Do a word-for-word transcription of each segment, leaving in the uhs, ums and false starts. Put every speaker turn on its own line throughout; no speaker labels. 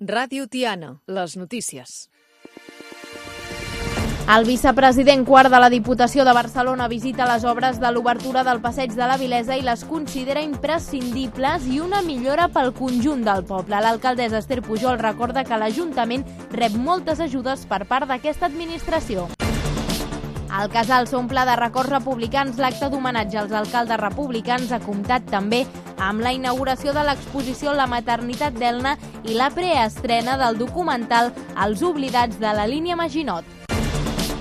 Ràdio Tiana, les notícies.
El vicepresident quart de la Diputació de Barcelona visita les obres de l'obertura del Passeig de la Vilesa i les considera imprescindibles i una millora pel conjunt del poble. L'alcaldessa Esther Pujol recorda que l'Ajuntament rep moltes ajudes per part d'aquesta administració. El Casal s'omple de records republicans. L'acte d'homenatge als alcaldes republicans ha comptat també amb la inauguració de l'exposició La maternitat d'Elna i la preestrena del documental Els oblidats de la línia Maginot.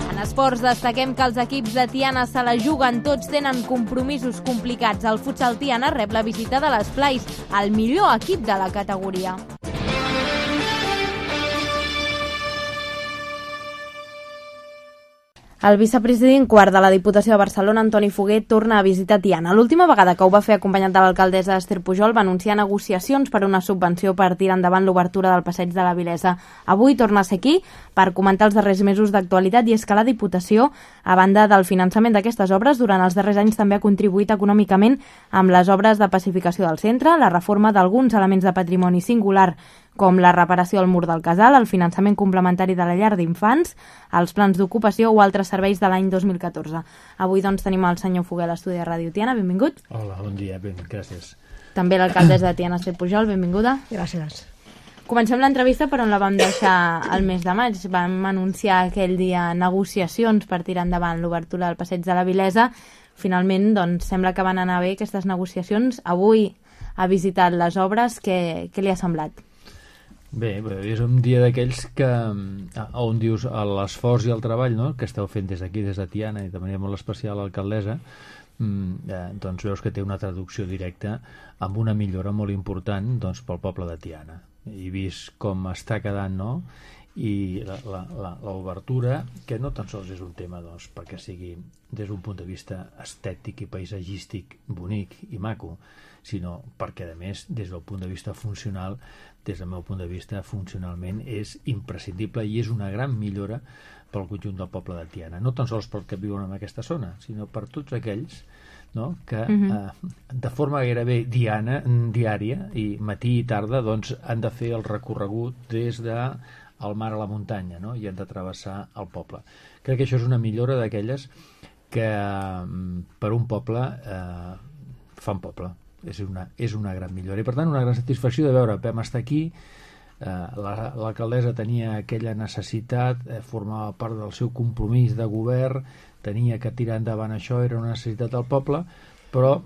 En esports destaquem que els equips de Tiana se la juguen, tots tenen compromisos complicats. El futsal Tiana rep la visita de l'Esplais, el millor equip de la categoria. El vicepresident quart de la Diputació de Barcelona, Antoni Foguer, torna a visitar Tiana. L'última vegada que ho va fer acompanyat de l'alcaldessa Esther Pujol va anunciar negociacions per una subvenció per tirar endavant l'obertura del Passeig de la Vilesa. Avui torna a ser aquí per comentar els darrers mesos d'actualitat, i és que la Diputació, a banda del finançament d'aquestes obres, durant els darrers anys també ha contribuït econòmicament amb les obres de pacificació del centre, la reforma d'alguns elements de patrimoni singular, com la reparació al mur del casal, el finançament complementari de la llar d'infants, els plans d'ocupació o altres serveis de l'any dos mil catorze. Avui doncs tenim el senyor Foguer a l'estudi de Ràdio Tiana. Benvingut.
Hola, bon dia, ben, gràcies.
També l'alcaldessa de Tiana, Esther Pujol, benvinguda.
Gràcies.
Comencem l'entrevista per on la vam deixar el mes de maig. Vam anunciar aquell dia negociacions per tirar endavant l'obertura del Passeig de la Vilesa. Finalment, doncs, sembla que van anar bé aquestes negociacions. Avui ha visitat les obres. Què, què li ha semblat?
Bé, és un dia d'aquells que on dius l'esforç i el treball, no?, que esteu fent des d'aquí, des de Tiana, i de manera molt especial l'alcaldessa, eh, doncs veus que té una traducció directa amb una millora molt important, doncs, pel poble de Tiana. I vist com està quedant, no?, i l'obertura, que no tan sols és un tema, doncs, perquè sigui des d'un punt de vista estètic i paisatgístic bonic i maco, sinó perquè, a més, des del punt de vista funcional, des del meu punt de vista, funcionalment és imprescindible i és una gran millora pel conjunt del poble de Tiana. No tan sols pel que viuen en aquesta zona, sinó per tots aquells, no?, que uh-huh. eh, de forma gairebé diana, diària, i matí i tarda, doncs, han de fer el recorregut des de al mar a la muntanya, no?, i han de travessar el poble. Crec que això és una millora d'aquelles que per un poble eh, fan poble. És una, és una gran millora i, per tant, una gran satisfacció de veure vam estar aquí. eh, l'alcaldessa tenia aquella necessitat, eh, formava part del seu compromís de govern, tenia que tirar endavant això, era una necessitat del poble, però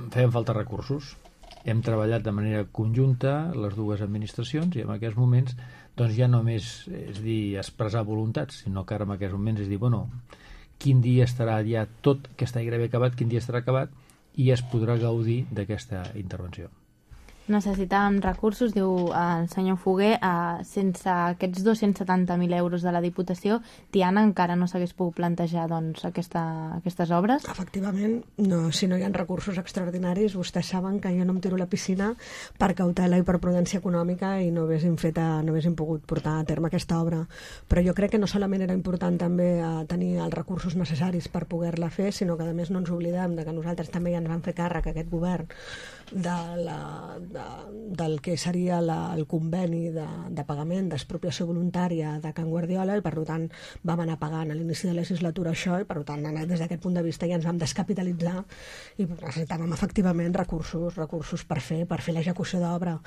feien falta recursos. Hem treballat de manera conjunta les dues administracions i en aquests moments doncs ja només és dir expressar voluntats, sinó que ara en aquests moments és dir, bueno, quin dia estarà ja tot, que està gairebé acabat, quin dia estarà acabat i es podrà gaudir d'aquesta intervenció.
Necessitàvem recursos, diu el senyor Foguer, eh, sense aquests dos-cents setanta mil euros de la Diputació, Tiana encara no s'hagués pogut plantejar doncs, aquesta, aquestes obres?
Efectivament, no, si no hi ha recursos extraordinaris, vostès saben que jo no em tiro a la piscina per cautela i per prudència econòmica i no haguéssim, fet a, no haguéssim pogut portar a terme aquesta obra. Però jo crec que no solament era important també eh, tenir els recursos necessaris per poder-la fer, sinó que a més no ens oblidem de que nosaltres també ja ens vam fer càrrec, aquest govern, de la, de, del que seria la, el conveni de, de pagament d'expropiació voluntària de Can Guardiola, i per tant vam anar pagant a l'inici de la legislatura això, i per tant des d'aquest punt de vista ja ens vam descapitalitzar i necessitàvem efectivament recursos recursos per fer per fer l'execució d'obra.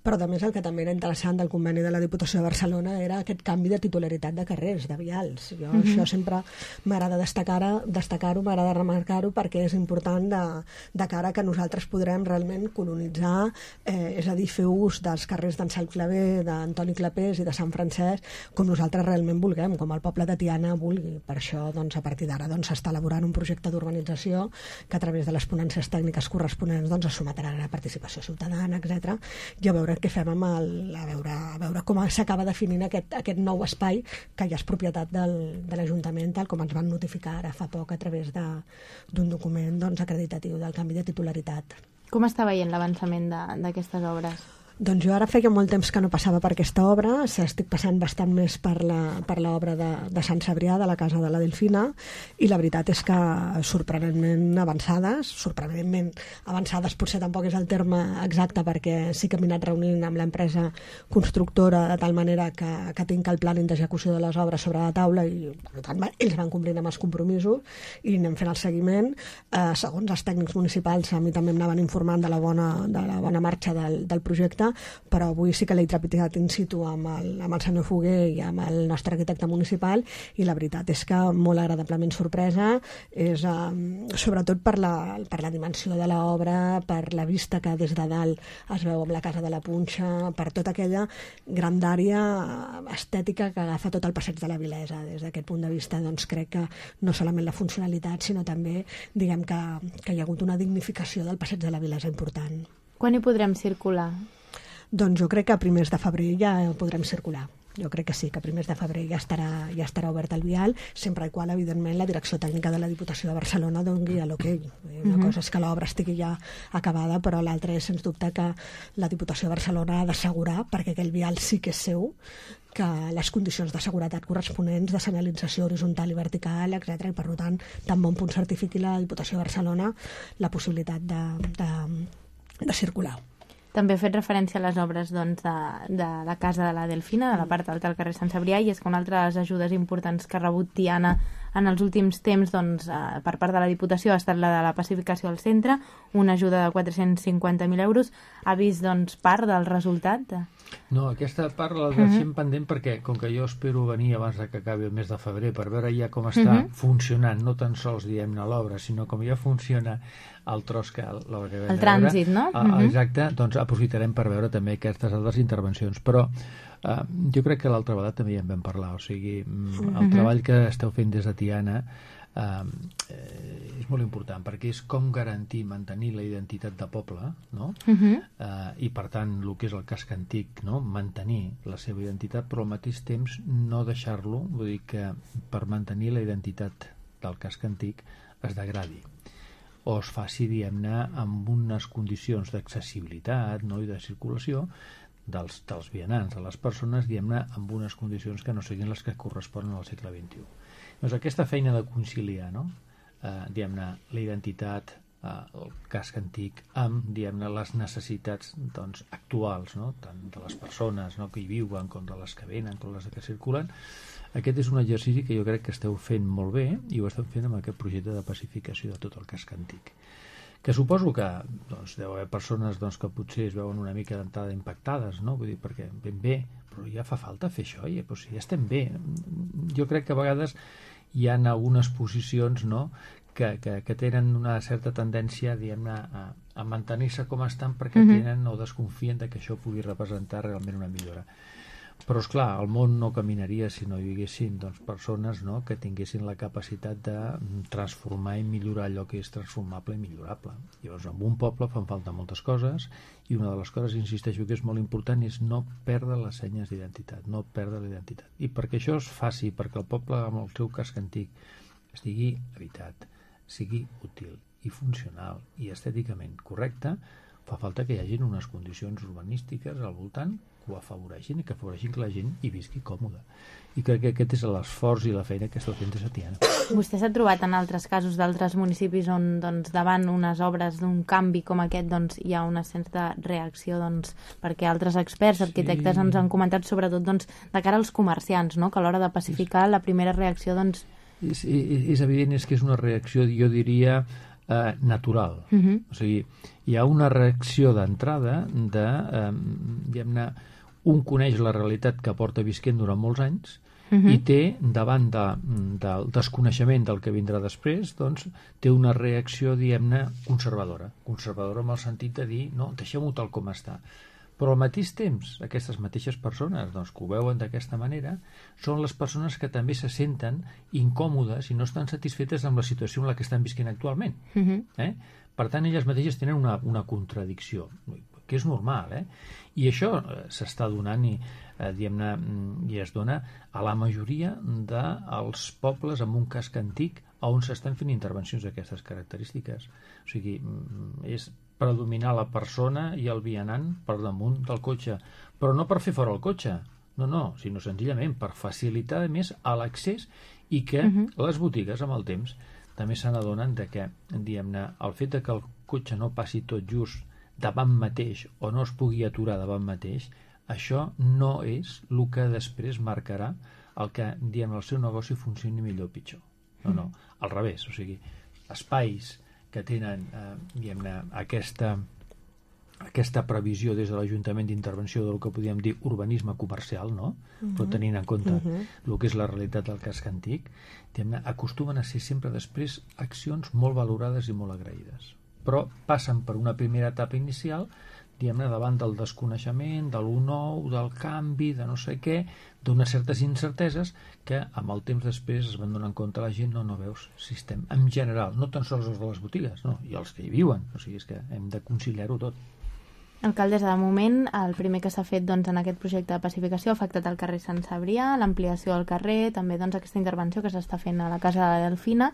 Però a més el que també era interessant del conveni de la Diputació de Barcelona era aquest canvi de titularitat de carrers, de vials. Jo mm-hmm. això sempre m'agrada destacar-ho, destacar-ho, m'agrada remarcar-ho, perquè és important de, de cara que nosaltres podrem realment colonitzar, eh, és a dir, fer ús dels carrers d'en Sal Clavé, d'Antoni Clapés i de Sant Francesc, com nosaltres realment vulguem, com el poble de Tiana vulgui. Per això, doncs, a partir d'ara doncs, s'està elaborant un projecte d'urbanització que a través de les ponències tècniques corresponents doncs, es sometrà a la participació ciutadana, etcètera, i a veure què fem amb el, a veure, a veure com s'acaba definint aquest, aquest nou espai que ja és propietat del, de l'Ajuntament, tal com ens van notificar ara fa poc a través d'un document doncs, acreditatiu del canvi de titularitat.
Com està veient l'avançament d'aquestes obres?
Doncs jo ara feia molt temps que no passava per aquesta obra, estic passant bastant més per la, per l'obra de, de Sant Cebrià, de la Casa de la Delfina, i la veritat és que sorprenentment avançades, sorprenentment avançades potser tampoc és el terme exacte, perquè sí que m'he anat reunint amb l'empresa constructora de tal manera que, que tinc el plàning d'execució de les obres sobre la taula i per tant ells van complint amb els compromisos i anem fent el seguiment. Eh, segons els tècnics municipals a mi també em anaven informant de la bona, de la bona marxa del, del projecte, però avui sí que l'he trepitat in situ amb el, amb el senyor Foguer i amb el nostre arquitecte municipal i la veritat és que molt agradablement sorpresa, és um, sobretot per la, per la dimensió de l'obra, per la vista que des de dalt es veu amb la Casa de la Punxa, per tota aquella grandària estètica que agafa tot el passeig de la Vilesa. Des d'aquest punt de vista doncs, crec que no solament la funcionalitat sinó també diguem que, que hi ha hagut una dignificació del passeig de la Vilesa important.
Quan hi podrem circular?
Doncs jo crec que a primers de febrer ja podrem circular. Jo crec que sí, que a primers de febrer ja estarà, ja estarà obert el vial, sempre i qual, evidentment, la direcció tècnica de la Diputació de Barcelona doni l'okei. Una uh-huh. cosa és que l'obra estigui ja acabada, però l'altra és, sens dubte, que la Diputació de Barcelona ha d'assegurar, perquè aquell vial sí que és seu, que les condicions de seguretat corresponents, de senyalització horitzontal i vertical, etcètera, i per tant, tan bon punt certifiqui la Diputació de Barcelona la possibilitat de, de, de circular.
També ha fet referència a les obres doncs, de, de la Casa de la Delfina, de la part alta del carrer Sant Cebrià, i és que una altra de les ajudes importants que ha rebut Tiana en els últims temps doncs, eh, per part de la Diputació ha estat la de la pacificació al centre, una ajuda de quatre-cents cinquanta mil euros. Ha vist doncs, part del resultat?
No, aquesta part la deixem uh-huh. pendent perquè, com que jo espero venir abans de que acabi el mes de febrer per veure ja com està uh-huh. funcionant, no tan sols diguem-ne l'obra, sinó com ja funciona el tros que l'obra que vam
el trànsit, no?
Uh, exacte, doncs aprofitarem per veure també aquestes altres intervencions, però uh, jo crec que l'altra vegada també ja en vam parlar, o sigui, uh-huh. el treball que esteu fent des de Tiana Uh, eh, és molt important perquè és com garantir, mantenir la identitat de poble, no? Uh-huh. uh, i per tant el que és el casc antic, no? Mantenir la seva identitat però al mateix temps no deixar-lo, vull dir que per mantenir la identitat del casc antic es degradi o es faci, diguem-ne, amb unes condicions d'accessibilitat, no? I de circulació dels, dels vianants, de les persones, diguem-ne, amb unes condicions que no siguin les que corresponen al segle vint-i-u. Doncs aquesta feina de conciliar, no? eh, diguem-ne, la identitat, eh, el casc antic, amb, diguem-ne, les necessitats doncs, actuals, no? Tant de les persones, no? Que hi viuen, com de les que venen, com les que circulen. Aquest és un exercici que jo crec que esteu fent molt bé i ho esteu fent amb aquest projecte de pacificació de tot el casc antic. Que suposo que doncs, deu haver persones doncs, que potser es veuen una mica d'entrada impactades, no? Vull dir, perquè ben bé, però ja fa falta fer això, ja, però si ja estem bé. Jo crec que a vegades hi ha algunes posicions, no?, que, que, que tenen una certa tendència, diguem-ne, a, a mantenir-se com estan perquè uh-huh. tenen o desconfien de que això pugui representar realment una millora. Però, esclar, el món no caminaria si no hi haguessin doncs, persones, no?, que tinguessin la capacitat de transformar i millorar allò que és transformable i millorable. Llavors, en un poble fan falta moltes coses i una de les coses, insisteixo, que és molt important és no perdre les senyes d'identitat, no perdre la identitat. I perquè això es faci, perquè el poble amb el seu casc antic estigui habitat, sigui útil i funcional i estèticament correcte, fa falta que hi hagin unes condicions urbanístiques al voltant que ho afavoreixin i que afavoreixin que la gent hi visqui còmoda. I crec que aquest és l'esforç i la feina que esteu fent des de Tiana.
Vostè s'ha trobat en altres casos d'altres municipis on doncs, davant unes obres d'un canvi com aquest doncs, hi ha una certa reacció doncs, perquè altres experts, arquitectes sí. ens han comentat sobretot doncs, de cara als comerciants, no? Que a l'hora de pacificar la primera reacció doncs...
és, és, és evident és que és una reacció, jo diria, eh, natural. Uh-huh. O sigui, hi ha una reacció d'entrada de, eh, diguem-ne, un coneix la realitat que porta visquent durant molts anys uh-huh. i té, davant de, del desconeixement del que vindrà després, doncs té una reacció, diguem-ne, conservadora. Conservadora en el sentit de dir, no, deixem-ho tal com està. Però al mateix temps, aquestes mateixes persones doncs, que ho veuen d'aquesta manera són les persones que també se senten incòmodes i no estan satisfetes amb la situació en la que estan visquent actualment. Uh-huh. Eh? Per tant, elles mateixes tenen una, una contradicció, que és normal, eh? I això eh, s'està donant i, eh, diguem-ne, i es dona a la majoria dels pobles amb un casc antic on s'estan fent intervencions d'aquestes característiques. O sigui, és predominar la persona i el vianant per damunt del cotxe, però no per fer fora el cotxe, no, no, sinó senzillament per facilitar més l'accés i que uh -huh. les botigues amb el temps també se n'adonen de que, diguem-ne, el fet de que el cotxe no passi tot just davant mateix o no es pugui aturar davant mateix, això no és el que després marcarà el que, diguem, el seu negoci funcioni millor o pitjor. No, no, al revés, o sigui, espais que tenen, eh, diguem-ne, aquesta, aquesta previsió des de l'Ajuntament d'intervenció del que podríem dir urbanisme comercial, no? Uh-huh. Però tenint en compte uh-huh. el que és la realitat del casc antic, diguem-ne, acostumen a ser sempre després accions molt valorades i molt agraïdes. Però passen per una primera etapa inicial, diguem-ne, davant del desconeixement, de l'u nou, del canvi, de no sé què, d'unes certes incerteses que amb el temps després es van donar en compte la gent, no, no veus, si estem en general, no tan sols els de les botigues, no, i els que hi viuen, o sigui, és que hem de conciliar-ho tot.
Alcaldessa, de moment, el primer que s'ha fet doncs, en aquest projecte de pacificació ha afectat el carrer Sant Cebrià, l'ampliació del carrer, també doncs, aquesta intervenció que s'està fent a la Casa de la Delfina.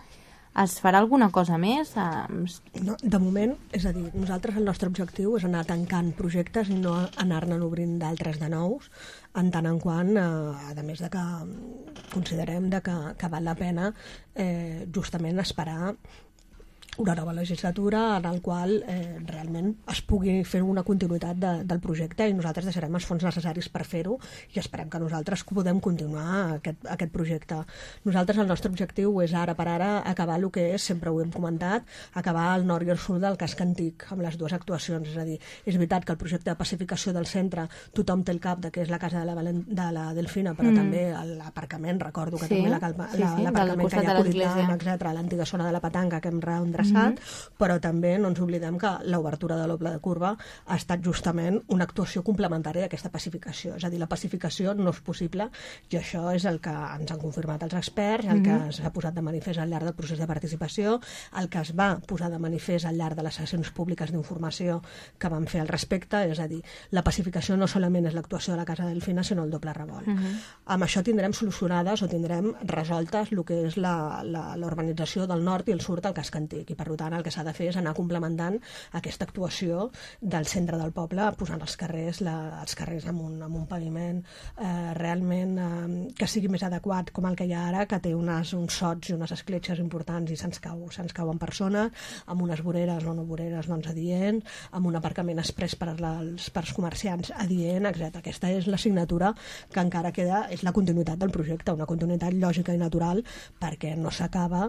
Es farà alguna cosa més?
No, de moment, és a dir, nosaltres el nostre objectiu és anar tancant projectes i no anar-ne obrint d'altres de nous, en tant en quant, eh, a més de que considerem de que, que val la pena eh, justament esperar una nova legislatura en el qual eh, realment es pugui fer una continuïtat de, del projecte i nosaltres deixarem els fons necessaris per fer-ho i esperem que nosaltres podem continuar aquest, aquest projecte. Nosaltres el nostre objectiu és ara per ara acabar el que és, sempre ho hem comentat, acabar el nord i el sud del casc antic amb les dues actuacions, és a dir, és veritat que el projecte de pacificació del centre tothom té el cap de que és la casa de la, de la Delfina, però mm. també l'aparcament, recordo que sí, també l'aparcament sí, sí, que hi ha Coritant, etcètera, l'antiga zona de la Petanca que hem reendreçat, mm-hmm. però també no ens oblidem que l'obertura de l'Obla de Curva ha estat justament una actuació complementària d'aquesta pacificació, és a dir, la pacificació no és possible i això és el que ens han confirmat els experts, el mm-hmm. que s'ha posat de manifest al llarg del procés de participació, el que es va posar de manifest al llarg de les sessions públiques d'informació que vam fer al respecte, és a dir, la pacificació no solament és l'actuació de la Casa Delfina, sinó el doble revolt. Mm-hmm. Amb això tindrem solucionades o tindrem resoltes el que és la, la, la urbanització del nord i el sud del casc antic i per tant el que s'ha de fer és anar complementant aquesta actuació del centre del poble posant els carrers, la, els carrers amb un, amb un paviment eh, realment eh, que sigui més adequat com el que hi ha ara, que té unes, uns sots i unes escletxes importants i se'ns cau, se'ns cauen persones, amb unes voreres o no voreres doncs, adients, amb un aparcament express per als, per als comerciants adient, etcètera. Aquesta és la signatura que encara queda, és la continuïtat del projecte, una continuïtat lògica i natural perquè no s'acaba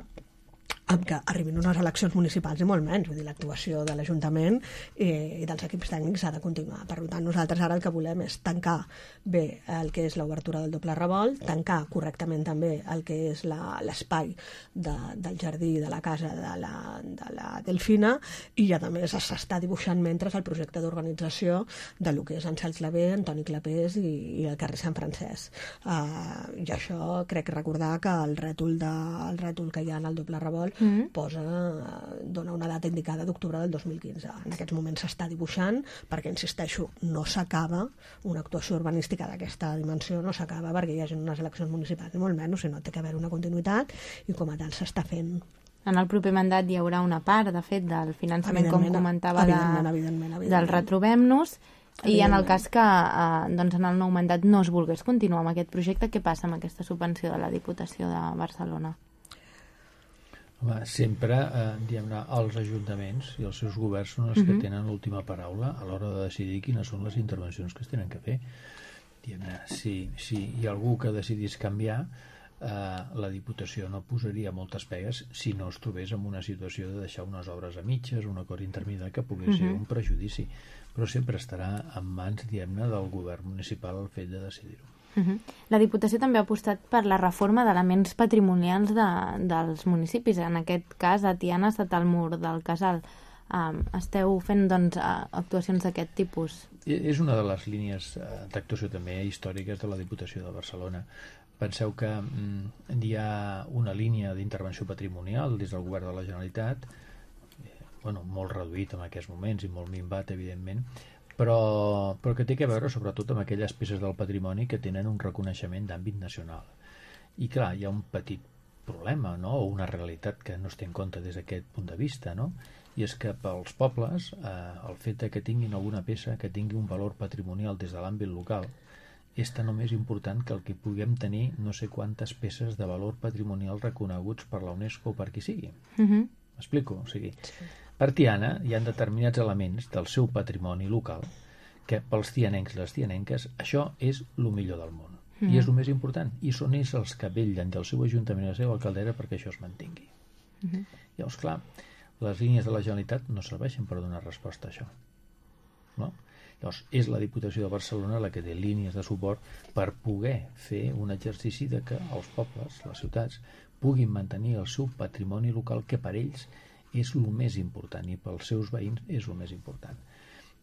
amb que arribin unes eleccions municipals i molt menys, vull dir, l'actuació de l'Ajuntament i, i dels equips tècnics ha de continuar. Per tant, nosaltres ara el que volem és tancar bé el que és l'obertura del doble revolt, tancar correctament també el que és l'espai de, del jardí de la casa de la, de la Delfina i a més s'està dibuixant mentre el projecte d'urbanització de lo que és Àngel Clavé, Antoni Clapés i, i el carrer Sant Francesc. Uh, I això crec recordar que el rètol, de, el rètol que hi ha en el doble revolt Mm. posa, dona una data indicada d'octubre del dos mil quinze. En aquests moments s'està dibuixant perquè, insisteixo, no s'acaba una actuació urbanística d'aquesta dimensió, no s'acaba perquè hi hagi unes eleccions municipals ni molt menys, sinó té que haver una continuïtat i com a tal s'està fent.
En el proper mandat hi haurà una part, de fet, del finançament, com comentava,
evidentment, evidentment, evidentment.
del Retrobem-nos. I en el cas que eh, doncs en el nou mandat no es volgués continuar amb aquest projecte, què passa amb aquesta subvenció de la Diputació de Barcelona?
Home, sempre eh, diguem-ne, els ajuntaments i els seus governs són els uh-huh. que tenen l'última paraula a l'hora de decidir quines són les intervencions que es tenen que fer. Diguem-ne, si, si hi ha algú que decidís canviar, eh, la Diputació no posaria moltes pegues si no es trobés en una situació de deixar unes obres a mitges, un acord intermediari que pogués uh-huh. ser un prejudici, però sempre estarà en mans, diguem-ne, del govern municipal el fet de decidir-ho.
Uh-huh. La Diputació també ha apostat per la reforma d'elements patrimonials de, dels municipis. En aquest cas, a Tiana ha estat el mur del Casal. Um, esteu fent doncs, actuacions d'aquest tipus?
És una de les línies d'actuació també històriques de la Diputació de Barcelona. Penseu que mm, hi ha una línia d'intervenció patrimonial des del govern de la Generalitat, eh, bueno, molt reduït en aquests moments i molt minvat, evidentment, Però, però que té que veure sobretot amb aquelles peces del patrimoni que tenen un reconeixement d'àmbit nacional. I clar, hi ha un petit problema, no? O una realitat que no es té en compte des d'aquest punt de vista, no? i és que pels pobles eh, el fet que tinguin alguna peça que tingui un valor patrimonial des de l'àmbit local és tan o més important que el que puguem tenir no sé quantes peces de valor patrimonial reconeguts per la UNESCO o per qui sigui.
Uh-huh.
M'explico? O sigui, per Tiana hi ha determinats elements del seu patrimoni local que pels tianencs i les tianenques això és el millor del món. Uh-huh. I és el més important. I són ells els que vetllen del seu ajuntament i la seva alcaldera perquè això es mantingui. Uh-huh. Llavors, clar, les línies de la Generalitat no serveixen per donar resposta a això. No? Llavors, és la Diputació de Barcelona la que té línies de suport per poder fer un exercici de que els pobles, les ciutats, puguin mantenir el seu patrimoni local, que per ells és el més important i pels seus veïns és el més important.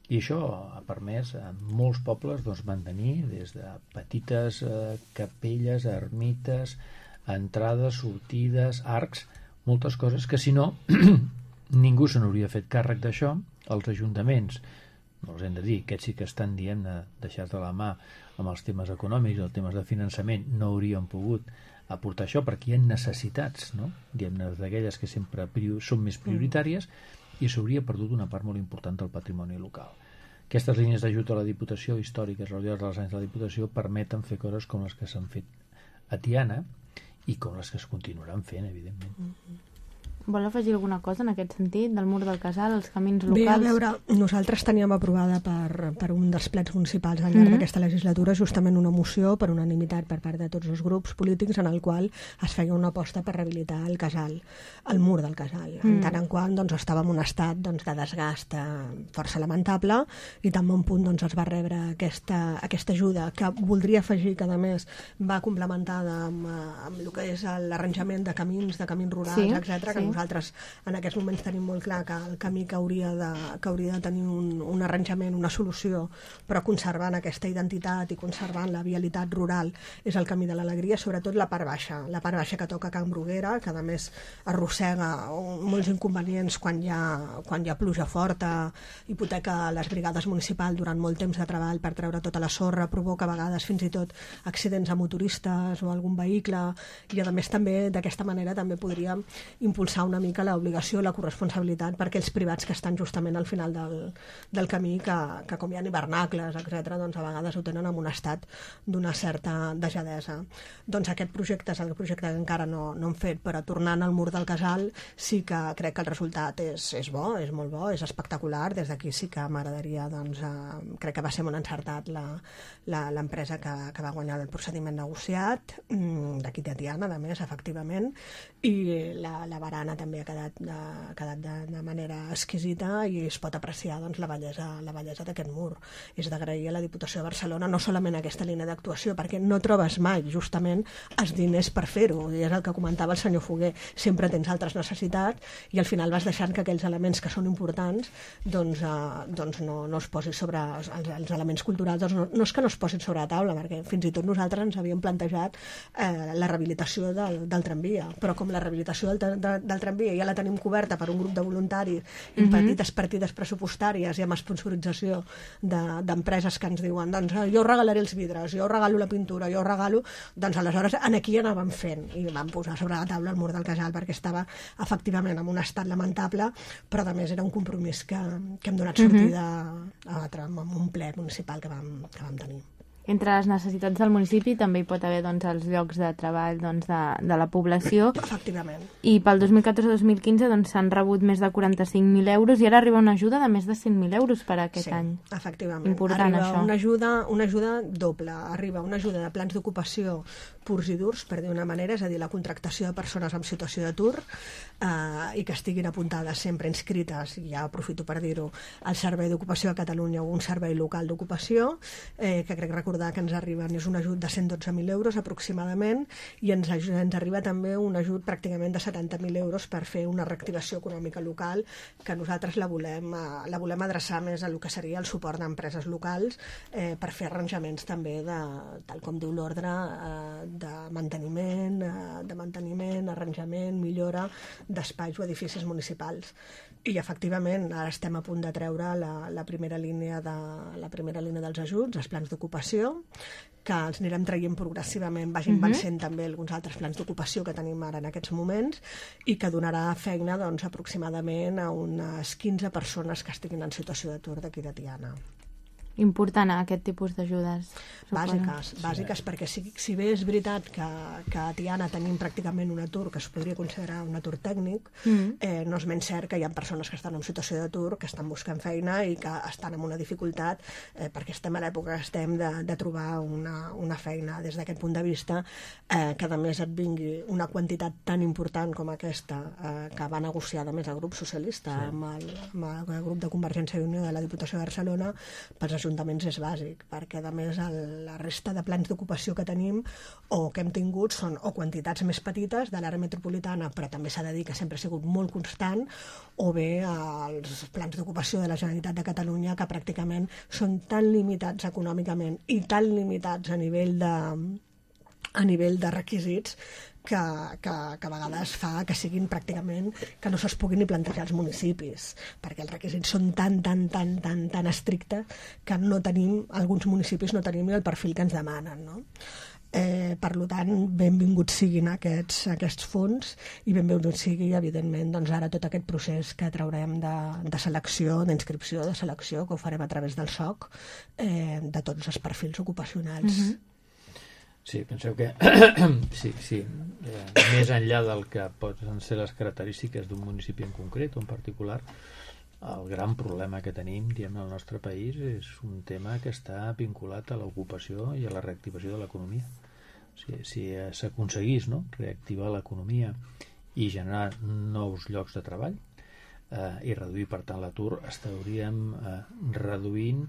I això ha permès a molts pobles doncs, mantenir des de petites eh, capelles, ermites, entrades, sortides, arcs, moltes coses que si no ningú se n'hauria fet càrrec d'això. Els ajuntaments, no els hem de dir, aquests sí que estan dient de deixar de la mà amb els temes econòmics, els temes de finançament, no haurien pogut aportar això perquè hi ha necessitats, no? Diguem-ne, d'aquelles que sempre són més prioritàries, i s'hauria perdut una part molt important del patrimoni local. Aquestes línies d'ajut a la Diputació històriques realitzades als anys de la Diputació permeten fer coses com les que s'han fet a Tiana i com les que es continuaran fent, evidentment.
Mm-hmm. Vol afegir alguna cosa en aquest sentit, del mur del Casal, els camins locals?
Bé, a veure, nosaltres teníem aprovada per, per un dels plens municipals al llarg mm-hmm. d'aquesta legislatura justament una moció per unanimitat per part de tots els grups polítics en el qual es feia una aposta per rehabilitar el Casal, el mur del Casal, mm. en tant en qual doncs, estava en un estat doncs, de desgast força lamentable i tan bon punt doncs, es va rebre aquesta, aquesta ajuda que voldria afegir que a més va complementada amb, amb el que és l'arranjament de camins, de camins rurals, sí, etcètera, sí. que nosaltres en aquests moments tenim molt clar que el camí que hauria de, que hauria de tenir un, un arranjament, una solució, però conservant aquesta identitat i conservant la vialitat rural és el camí de l'alegria, sobretot la part baixa, la part baixa que toca a Can Bruguera, que a més arrossega molts inconvenients quan hi ha, quan hi ha pluja forta, hipoteca les brigades municipals durant molt temps de treball per treure tota la sorra, provoca a vegades fins i tot accidents a motoristes o algun vehicle, i a més també d'aquesta manera també podríem impulsar una mica l'obligació, la corresponsabilitat per aquells privats que estan justament al final del, del camí, que, que com hi ha hivernacles, etcètera, doncs a vegades ho tenen en un estat d'una certa dejadesa. Doncs aquest projecte és el projecte que encara no, no hem fet, però tornant al mur del Casal sí que crec que el resultat és, és bo, és molt bo, és espectacular. Des d'aquí sí que m'agradaria, doncs, eh, crec que va ser molt encertat l'empresa que, que va guanyar el procediment negociat, d'aquí de Tiana, a més, efectivament, i la, la barana també ha quedat, de, ha quedat de, de manera exquisita i es pot apreciar doncs, la bellesa, la bellesa d'aquest mur. És d'agrair a la Diputació de Barcelona no solament aquesta línia d'actuació, perquè no trobes mai justament els diners per fer-ho, i és el que comentava el senyor Foguer, sempre tens altres necessitats i al final vas deixant que aquells elements que són importants doncs, eh, doncs no, no es posin sobre els, els elements culturals, doncs no, no és que no es posin sobre la taula, perquè fins i tot nosaltres ens havíem plantejat eh, la rehabilitació del, del tramvia, però com la rehabilitació del, de, del tramvia ja la tenim coberta per un grup de voluntaris i amb mm-hmm. petites partides pressupostàries i amb sponsorització d'empreses de, que ens diuen doncs jo regalaré els vidres, jo regalo la pintura, jo regalo, doncs aleshores en aquí anàvem fent i vam posar sobre la taula el mur del Casal perquè estava efectivament en un estat lamentable, però a més era un compromís que, que hem donat sortida mm-hmm. a, a, a un ple municipal que vam, que vam tenir.
Entre les necessitats del municipi també hi pot haver doncs, els llocs de treball doncs, de, de la població.
Efectivament.
I pel dos mil catorze dos mil quinze doncs, s'han rebut més de quaranta-cinc mil euros i ara arriba una ajuda de més de cent mil euros per a aquest
sí,
any.
Efectivament.
Important,
arriba
això.
Una ajuda, una ajuda doble. Arriba una ajuda de plans d'ocupació purs i durs, per dir una manera, és a dir, la contractació de persones en situació d'atur eh, i que estiguin apuntades sempre inscrites, i ja aprofito per dir-ho, al Servei d'Ocupació de Catalunya o un servei local d'ocupació, eh, que crec recordar que ens arriben, és un ajut de cent dotze mil euros aproximadament, i ens, ens arriba també un ajut pràcticament de setanta mil euros per fer una reactivació econòmica local, que nosaltres la volem, eh, la volem adreçar més a el que seria el suport d'empreses locals eh, per fer arranjaments també, de, tal com diu l'ordre, eh, de manteniment, eh, de manteniment, arranjament, millora d'espais o edificis municipals. I efectivament ara estem a punt de treure la, la primera línia de la primera línia dels ajuts, els plans d'ocupació, d'ocupació, que els anirem traient progressivament, vagin
Mhm.
vencent també alguns altres plans d'ocupació que tenim ara en aquests moments, i que donarà feina doncs, aproximadament a unes quinze persones que estiguin en situació d'atur d'aquí de Tiana.
Important, eh, aquest tipus d'ajudes. suposo.
Bàsiques, bàsiques, perquè si, si bé és veritat que, que a Tiana tenim pràcticament un atur que es podria considerar un atur tècnic,
Mm.
eh, no és menys cert que hi ha persones que estan en situació d'atur, que estan buscant feina i que estan en una dificultat, eh, perquè estem a l'època que estem de, de trobar una, una feina. Des d'aquest punt de vista, eh, que a més et vingui una quantitat tan important com aquesta, eh, que va negociar a més el grup socialista
Sí.
amb, el, amb el grup de Convergència i Unió de la Diputació de Barcelona, pels ajuntaments és bàsic, perquè a més el, la resta de plans d'ocupació que tenim o que hem tingut són o quantitats més petites de l'àrea metropolitana, però també s'ha de dir que sempre ha sigut molt constant, o bé els plans d'ocupació de la Generalitat de Catalunya, que pràcticament són tan limitats econòmicament i tan limitats a nivell de, a nivell de requisits que, que, que a vegades fa que siguin pràcticament que no se'ls puguin ni plantejar als municipis, perquè els requisits són tan, tan, tan, tan, tan estrictes que no tenim, alguns municipis no tenim ni el perfil que ens demanen, no? Eh, per tant, benvinguts siguin aquests, aquests fons i benvingut sigui, evidentment, doncs ara tot aquest procés que traurem de, de selecció, d'inscripció, de selecció, que ho farem a través del S O C, eh, de tots els perfils ocupacionals.
Mhm.
Sí, penseu que sí, sí, eh, més enllà del que poden ser les característiques d'un municipi en concret o en particular, el gran problema que tenim, diguem, al nostre país és un tema que està vinculat a l'ocupació i a la reactivació de l'economia. O sigui, si s'aconseguís, no?, reactivar l'economia i generar nous llocs de treball eh, i reduir, per tant, l'atur, estaríem eh, reduint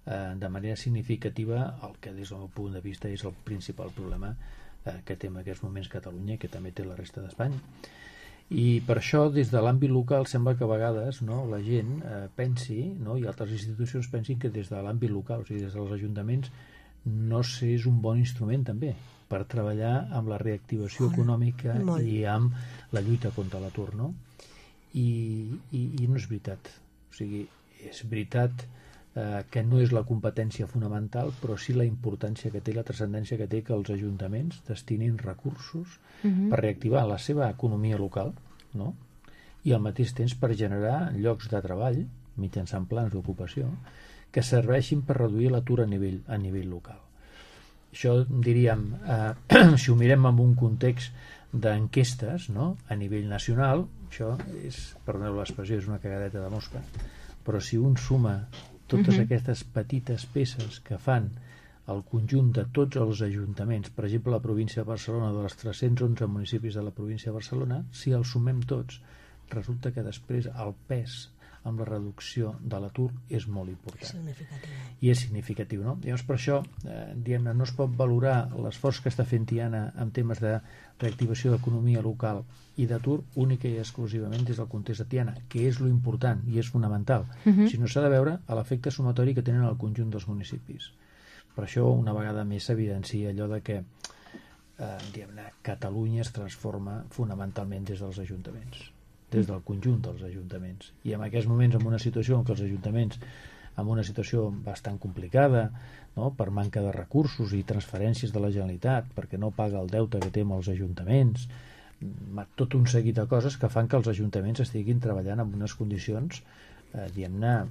eh, de manera significativa el que des del meu punt de vista és el principal problema eh, que té en aquests moments Catalunya i que també té la resta d'Espanya. I per això, des de l'àmbit local, sembla que a vegades, no, la gent eh, pensi, no, i altres institucions pensin que des de l'àmbit local, o sigui, des dels ajuntaments, no és un bon instrument també per treballar amb la reactivació
Molt,
econòmica
molt.
i amb la lluita contra l'atur, no? I, i, i no és veritat. O sigui, és veritat eh, que no és la competència fonamental, però sí la importància que té, la transcendència que té que els ajuntaments destinin recursos
Mhm.
per reactivar la seva economia local, no? I al mateix temps per generar llocs de treball mitjançant plans d'ocupació que serveixin per reduir l'atur a nivell, a nivell local. Això, diríem, eh, si ho mirem en un context d'enquestes, no?, a nivell nacional, això és, perdoneu l'expressió, és una cagadeta de mosca, però si un suma totes
Mhm.
aquestes petites peces que fan el conjunt de tots els ajuntaments, per exemple la província de Barcelona, dels tres-cents onze municipis de la província de Barcelona, si els sumem tots, resulta que després el pes amb la reducció de l'atur és molt important.
Significatiu.
I és significatiu, no? Llavors, per això, eh, diguem-ne, no es pot valorar l'esforç que està fent Tiana en temes de reactivació d'economia local i d'atur única i exclusivament des del context de Tiana, que és lo important i és fonamental,
Mhm.
sinó s'ha de veure a l'efecte sumatori que tenen al conjunt dels municipis. Per això, una vegada més s'evidencia allò de que eh, diguem-ne, Catalunya es transforma fonamentalment des dels ajuntaments, des del conjunt dels ajuntaments. I en aquests moments, en una situació en què els ajuntaments, en una situació bastant complicada, no?, per manca de recursos i transferències de la Generalitat, perquè no paga el deute que té amb els ajuntaments, ma- tot un seguit de coses que fan que els ajuntaments estiguin treballant en unes condicions, eh, diguem-ne,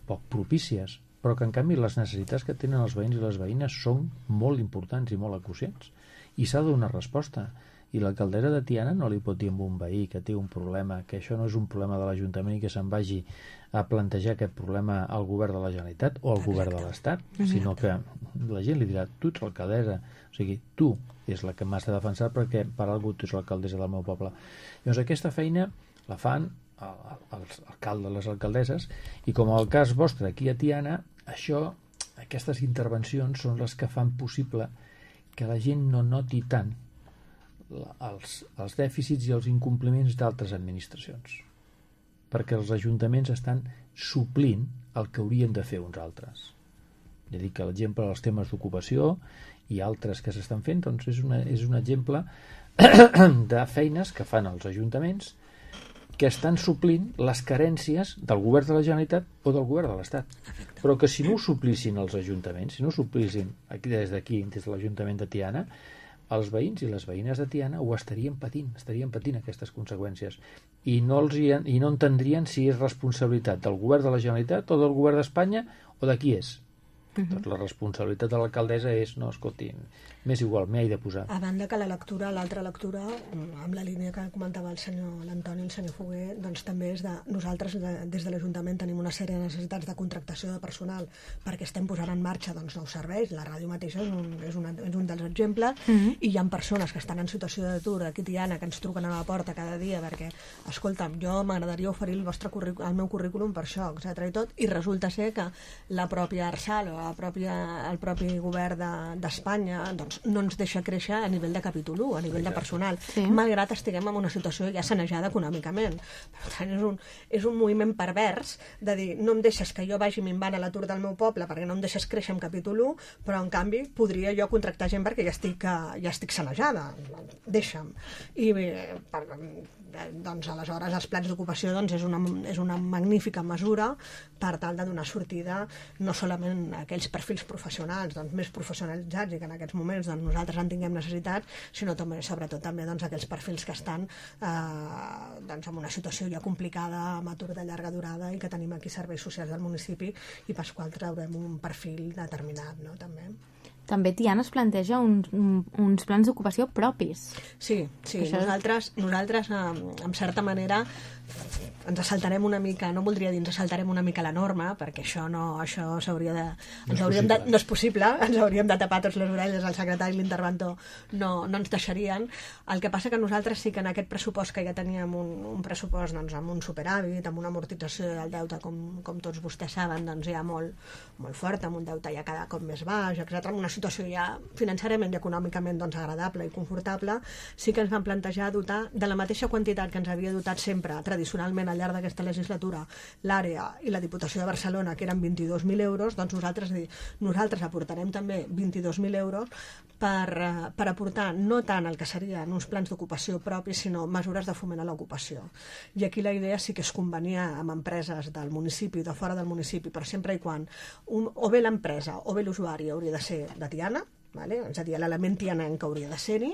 poc propícies, però que en canvi les necessitats que tenen els veïns i les veïnes són molt importants i molt acucients, i s'ha de donar resposta. I l'alcaldessa de Tiana no li pot dir a un veí que té un problema, que això no és un problema de l'Ajuntament i que se'n vagi a plantejar aquest problema al govern de la Generalitat o al govern de l'Estat, sinó que la gent li dirà, tu ets l'alcaldessa, o sigui, tu és la que m'has de defensar perquè per algú tu ets l'alcaldessa del meu poble. Llavors aquesta feina la fan els alcaldes, les alcaldesses, i com el cas vostre aquí a Tiana, això, aquestes intervencions són les que fan possible que la gent no noti tant els, els dèficits i els incompliments d'altres administracions, perquè els ajuntaments estan suplint el que haurien de fer uns altres. Ja dic que l'exemple dels temes d'ocupació i altres que s'estan fent, doncs és, una, és un exemple de feines que fan els ajuntaments que estan suplint les carències del govern de la Generalitat o del govern de l'Estat. Però que si no ho suplissin els ajuntaments, si no ho suplissin aquí des d'aquí, des de l'Ajuntament de Tiana, els veïns i les veïnes de Tiana ho estarien patint, estarien patint aquestes conseqüències i no, els hi, i no entendrien si és responsabilitat del govern de la Generalitat o del govern d'Espanya o de qui és. Uh-huh. Doncs la responsabilitat de l'alcaldessa és, no, escolti, m'és igual, m'hi he de posar.
A banda que la lectura, l'altra lectura, amb la línia que comentava el senyor l'Antoni i el senyor Foguer, doncs també és de nosaltres, de, des de l'Ajuntament, tenim una sèrie de necessitats de contractació de personal perquè estem posant en marxa doncs, nous serveis. La ràdio mateixa és un, és una, és un dels exemples, uh-huh. i hi ha persones que estan en situació d'atur aquí a Tiana, que ens truquen a la porta cada dia perquè, escolta'm, jo m'agradaria oferir el, vostre currículum, el meu currículum per això, etcètera i tot, i resulta ser que la pròpia Arsal o la pròpia, el propi govern d'Espanya de, doncs, no ens deixa créixer a nivell de capítol u, a nivell de personal, sí. malgrat estiguem en una situació ja sanejada econòmicament. Per tant, és un, és un moviment pervers de dir, no em deixes que jo vagi minvant a l'atur del meu poble perquè no em deixes créixer en capítol u, però en canvi podria jo contractar gent perquè ja estic, ja estic sanejada. Deixa'm. I per, doncs aleshores els plans d'ocupació doncs, és, una, és una magnífica mesura per tal de donar sortida no solament a aquells perfils professionals doncs, més professionalitzats i que en aquests moments doncs, nosaltres en tinguem necessitat, sinó també, sobretot també doncs, aquells perfils que estan eh, doncs, en una situació ja complicada, amb atur de llarga durada i que tenim aquí serveis socials del municipi i pels quals traurem un perfil determinat, no? També.
També Tiana es planteja uns, uns plans d'ocupació propis.
Sí, sí. Això... nosaltres, nosaltres en certa manera ens saltarem una mica, no voldria dir ens saltarem una mica la norma, perquè això no, això s'hauria de... Ens no, hauríem de no és possible, ens hauríem de tapar tots les orelles, el secretari i l'interventor no, no ens deixarien. El que passa que nosaltres sí que en aquest pressupost que ja teníem un, un pressupost doncs, amb un superàvit, amb una amortització del deute, com, com tots vostès saben, doncs ja molt, molt fort, amb un deute ja cada cop més baix, etcètera, amb una situació ja financerament i econòmicament doncs, agradable i confortable, sí que ens van plantejar dotar de la mateixa quantitat que ens havia dotat sempre tradicionalment al llarg d'aquesta legislatura l'àrea i la Diputació de Barcelona, que eren vint-i-dos mil euros, doncs nosaltres, nosaltres aportarem també vint-i-dos mil euros per, per aportar no tant el que serien uns plans d'ocupació propis, sinó mesures de foment a l'ocupació. I aquí la idea sí que és conveniar amb empreses del municipi o de fora del municipi, però sempre i quan un, o bé l'empresa o bé l'usuari hauria de ser de Tiana, vale? És a dir, l'element tianenc hauria de ser-hi,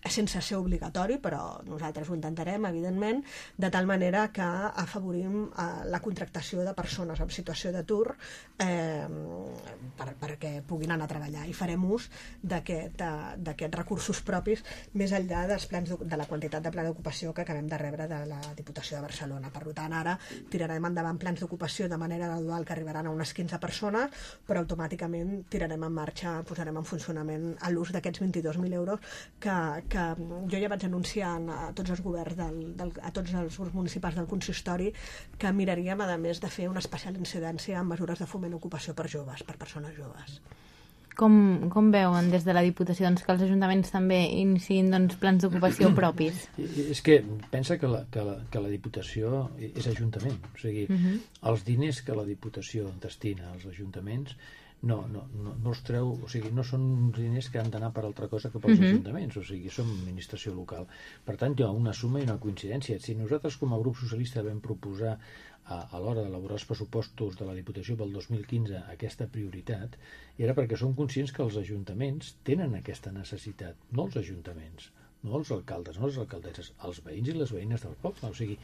sense ser obligatori, però nosaltres ho intentarem, evidentment, de tal manera que afavorim eh, la contractació de persones en situació d'atur eh, per, perquè puguin anar a treballar i farem ús d'aquests recursos propis més enllà dels plans de, de la quantitat de pla d'ocupació que acabem de rebre de la Diputació de Barcelona. Per tant, ara tirarem endavant plans d'ocupació de manera gradual que arribaran a unes quinze persones, però automàticament tirarem en marxa, posarem en funcionament a l'ús d'aquests vint-i-dos mil euros que, que jo ja vaig anunciar a tots els governs, del, del, a tots els grups municipals del consistori que miraríem, a més, de fer una especial incidència en mesures de foment d'ocupació per joves, per persones joves.
Com, com veuen des de la Diputació doncs, que els ajuntaments també iniciïn doncs, plans d'ocupació propis?
És que pensa que la, que la, que la Diputació és ajuntament, o sigui, uh-huh. els diners que la Diputació destina als ajuntaments no, no, no, no els treu, o sigui, no són diners que han d'anar per altra cosa que pels uh-huh. ajuntaments, o sigui, som administració local. Per tant, hi ha una suma i una coincidència. Si nosaltres com a grup socialista vam proposar a, a l'hora d'elaborar els pressupostos de la Diputació pel dos mil quinze aquesta prioritat, era perquè som conscients que els ajuntaments tenen aquesta necessitat, no els ajuntaments, no els alcaldes, no les alcaldesses, els veïns i les veïnes del poble. O sigui,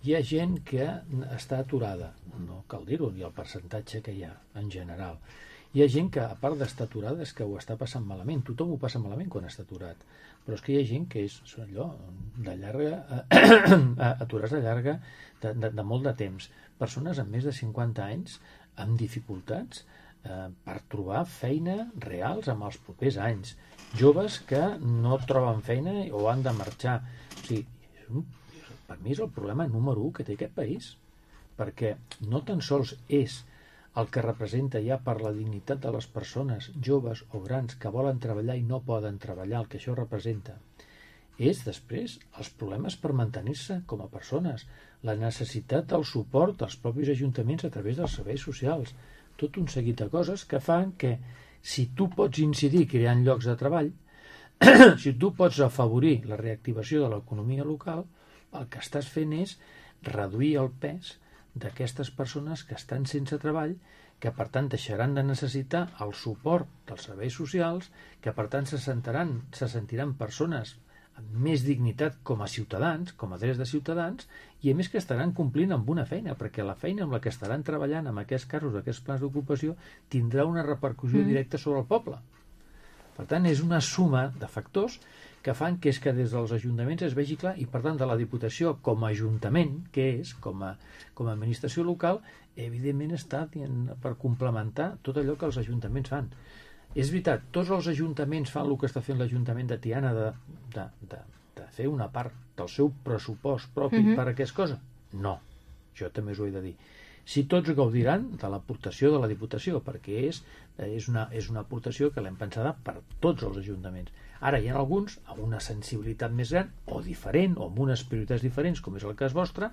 hi ha gent que està aturada, no cal dir-ho, ni el percentatge que hi ha en general. Hi ha gent que, a part d'estar aturada, és que ho està passant malament. Tothom ho passa malament quan està aturat. Però és que hi ha gent que és allò, de llarga, aturats de llarga, de, de, de molt de temps. Persones amb més de cinquanta anys, amb dificultats eh, per trobar feina reals en els propers anys. Joves que no troben feina o han de marxar. O sigui, és un, per mi és el problema número u que té aquest país. Perquè no tan sols és el que representa ja per la dignitat de les persones joves o grans que volen treballar i no poden treballar, el que això representa, és després els problemes per mantenir-se com a persones, la necessitat del suport dels propis ajuntaments a través dels serveis socials, tot un seguit de coses que fan que si tu pots incidir creant llocs de treball, si tu pots afavorir la reactivació de l'economia local, el que estàs fent és reduir el pes d'aquestes persones que estan sense treball, que per tant deixaran de necessitar el suport dels serveis socials, que per tant se sentiran, se sentiran persones amb més dignitat com a ciutadans, com a drets de ciutadans, i a més que estaran complint amb una feina, perquè la feina amb la que estaran treballant en aquests casos, aquests plans d'ocupació, tindrà una repercussió mm. directa sobre el poble. Per tant, és una suma de factors que fan que és que des dels ajuntaments es vegi clar, i per tant de la Diputació com a ajuntament, que és, com a, com a administració local, evidentment està dient, per complementar tot allò que els ajuntaments fan. És veritat, tots els ajuntaments fan el que està fent l'Ajuntament de Tiana de, de, de, de fer una part del seu pressupost propi mm-hmm. per a aquesta cosa? No, jo també us ho he de dir. Si tots gaudiran de l'aportació de la Diputació, perquè és, és, una, és una aportació que l'hem pensada per tots els ajuntaments. Ara hi ha alguns amb una sensibilitat més gran o diferent, o amb unes prioritats diferents, com és el cas vostre,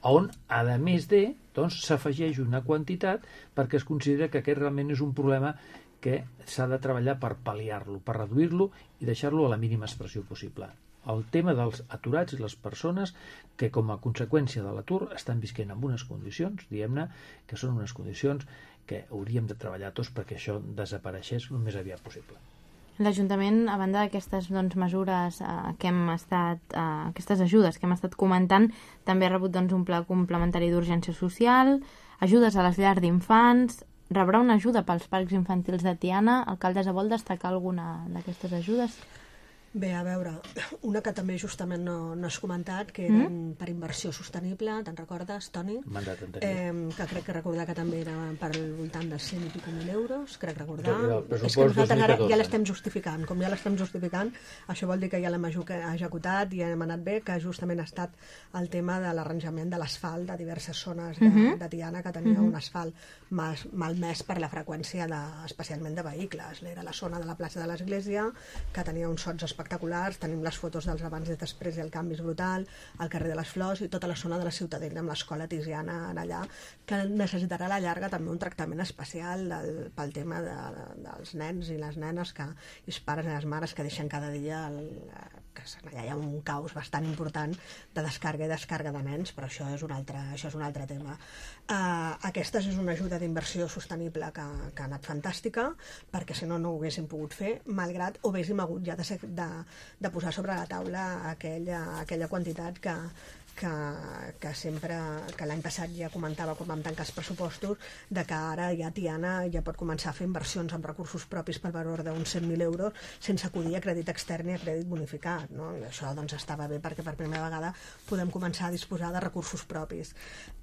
on, a més de, doncs, s'afegeix una quantitat perquè es considera que aquest realment és un problema que s'ha de treballar per pal·liar-lo, per reduir-lo i deixar-lo a la mínima expressió possible. El tema dels aturats i les persones que com a conseqüència de l'atur estan visquent en unes condicions, diguem-ne, que són unes condicions que hauríem de treballar tots perquè això desapareixés el més aviat possible.
L'Ajuntament, a banda d'aquestes doncs, mesures eh, que hem estat, eh, aquestes ajudes que hem estat comentant, també ha rebut doncs, un pla complementari d'urgència social, ajudes a les llars d'infants, rebrà una ajuda pels parcs infantils de Tiana. Alcaldessa, vol destacar alguna d'aquestes ajudes?
Bé, a veure, una que també justament no, no has comentat, que era mm? per inversió sostenible, te'n recordes, Toni?
Mandat anterior.
Eh, que crec que recordar que també era per al voltant de cent i pico mil euros, crec recordar.
És que
nosaltres ara ja l'estem justificant. Com ja l'estem justificant, això vol dir que ja l'hem executat i hem anat bé, que justament ha estat el tema de l'arranjament de l'asfalt de diverses zones de, mm-hmm. de Tiana, que tenia mm-hmm. un asfalt mal, malmès per la freqüència, de, especialment de vehicles. Era la zona de la plaça de l'Església, que tenia uns sots espectaculars, tenim les fotos dels abans i després i el canvi és brutal, al carrer de les Flors i tota la zona de la Ciutadella amb l'escola Tiziana en allà, que necessitarà a la llarga també un tractament especial del, pel tema de, de, dels nens i les nenes que, i els pares i les mares que deixen cada dia el, que allà hi ha un caos bastant important de descàrrega i descàrrega de nens, però això és un altre, això és un altre tema. Uh, aquesta és una ajuda d'inversió sostenible que, que ha anat fantàstica, perquè si no no ho haguéssim pogut fer, malgrat ho haguéssim hagut ja de, ser, de, de posar sobre la taula aquella, aquella quantitat que, que, que sempre, que l'any passat ja comentava quan vam tancar els pressupostos, de que ara ja Tiana ja pot començar a fer inversions amb recursos propis per valor d'uns cent mil euros sense acudir a crèdit extern i a crèdit bonificat, no? I això doncs estava bé perquè per primera vegada podem començar a disposar de recursos propis.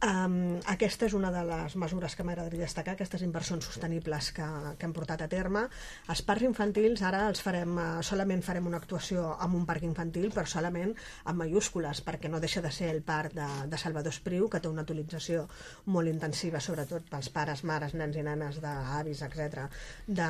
Um, aquesta és una de les mesures que m'agradaria destacar, aquestes inversions sostenibles que, que hem portat a terme. Els parcs infantils ara els farem, uh, solament farem una actuació amb un parc infantil, però solament amb majúscules, perquè no deixa de ser el parc de, de Salvador Espriu, que té una utilització molt intensiva, sobretot pels pares, mares, nens i nenes, d'avis, etcètera, de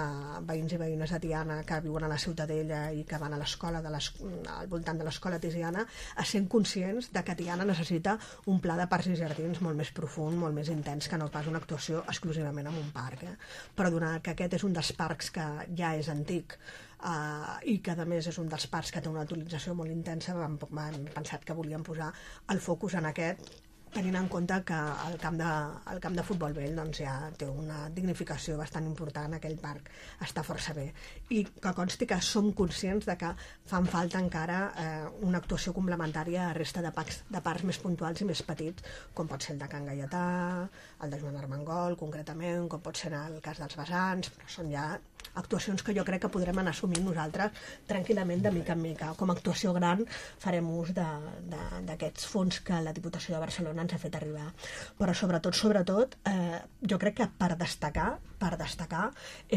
veïns i veïnes de Tiana que viuen a la Ciutadella i que van a l'escola de les, al voltant de l'escola Tiziana, a ser conscients de que Tiana necessita un pla de parcs i jardins molt més profund, molt més intens, que no pas una actuació exclusivament en un parc. Eh? Però donat que aquest és un dels parcs que ja és antic, Uh, i que a més és un dels parcs que té una utilització molt intensa, vam, vam pensat que volíem posar el focus en aquest, tenint en compte que el camp de, el camp de futbol vell doncs, ja té una dignificació bastant important, aquell parc està força bé, i que consti que som conscients de que fan falta encara eh, una actuació complementària a resta de parcs, de parcs més puntuals i més petits, com pot ser el de Can Gaietà, el de Joan Armengol concretament, com pot ser el cas dels Vessants, però són ja actuacions que jo crec que podrem anar assumint nosaltres tranquil·lament de mica en mica. Com a actuació gran farem ús d'aquests fons que la Diputació de Barcelona ens ha fet arribar. Però sobretot, sobretot, eh, jo crec que per destacar, per destacar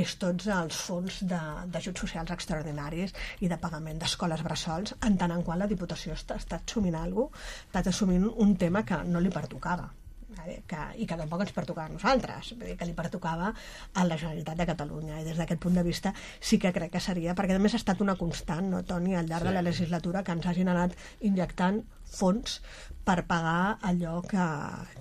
és tots els fons d'ajuts socials extraordinaris i de pagament d'escoles bressols, en tant en quant la Diputació està, està assumint alguna cosa, està assumint un tema que no li pertocava. Que, i que tampoc ens pertocava a nosaltres, que li pertocava a la Generalitat de Catalunya, i des d'aquest punt de vista sí que crec que seria, perquè a més ha estat una constant, no, Toni, al llarg sí. de la legislatura, que ens hagin anat injectant fons per pagar allò que,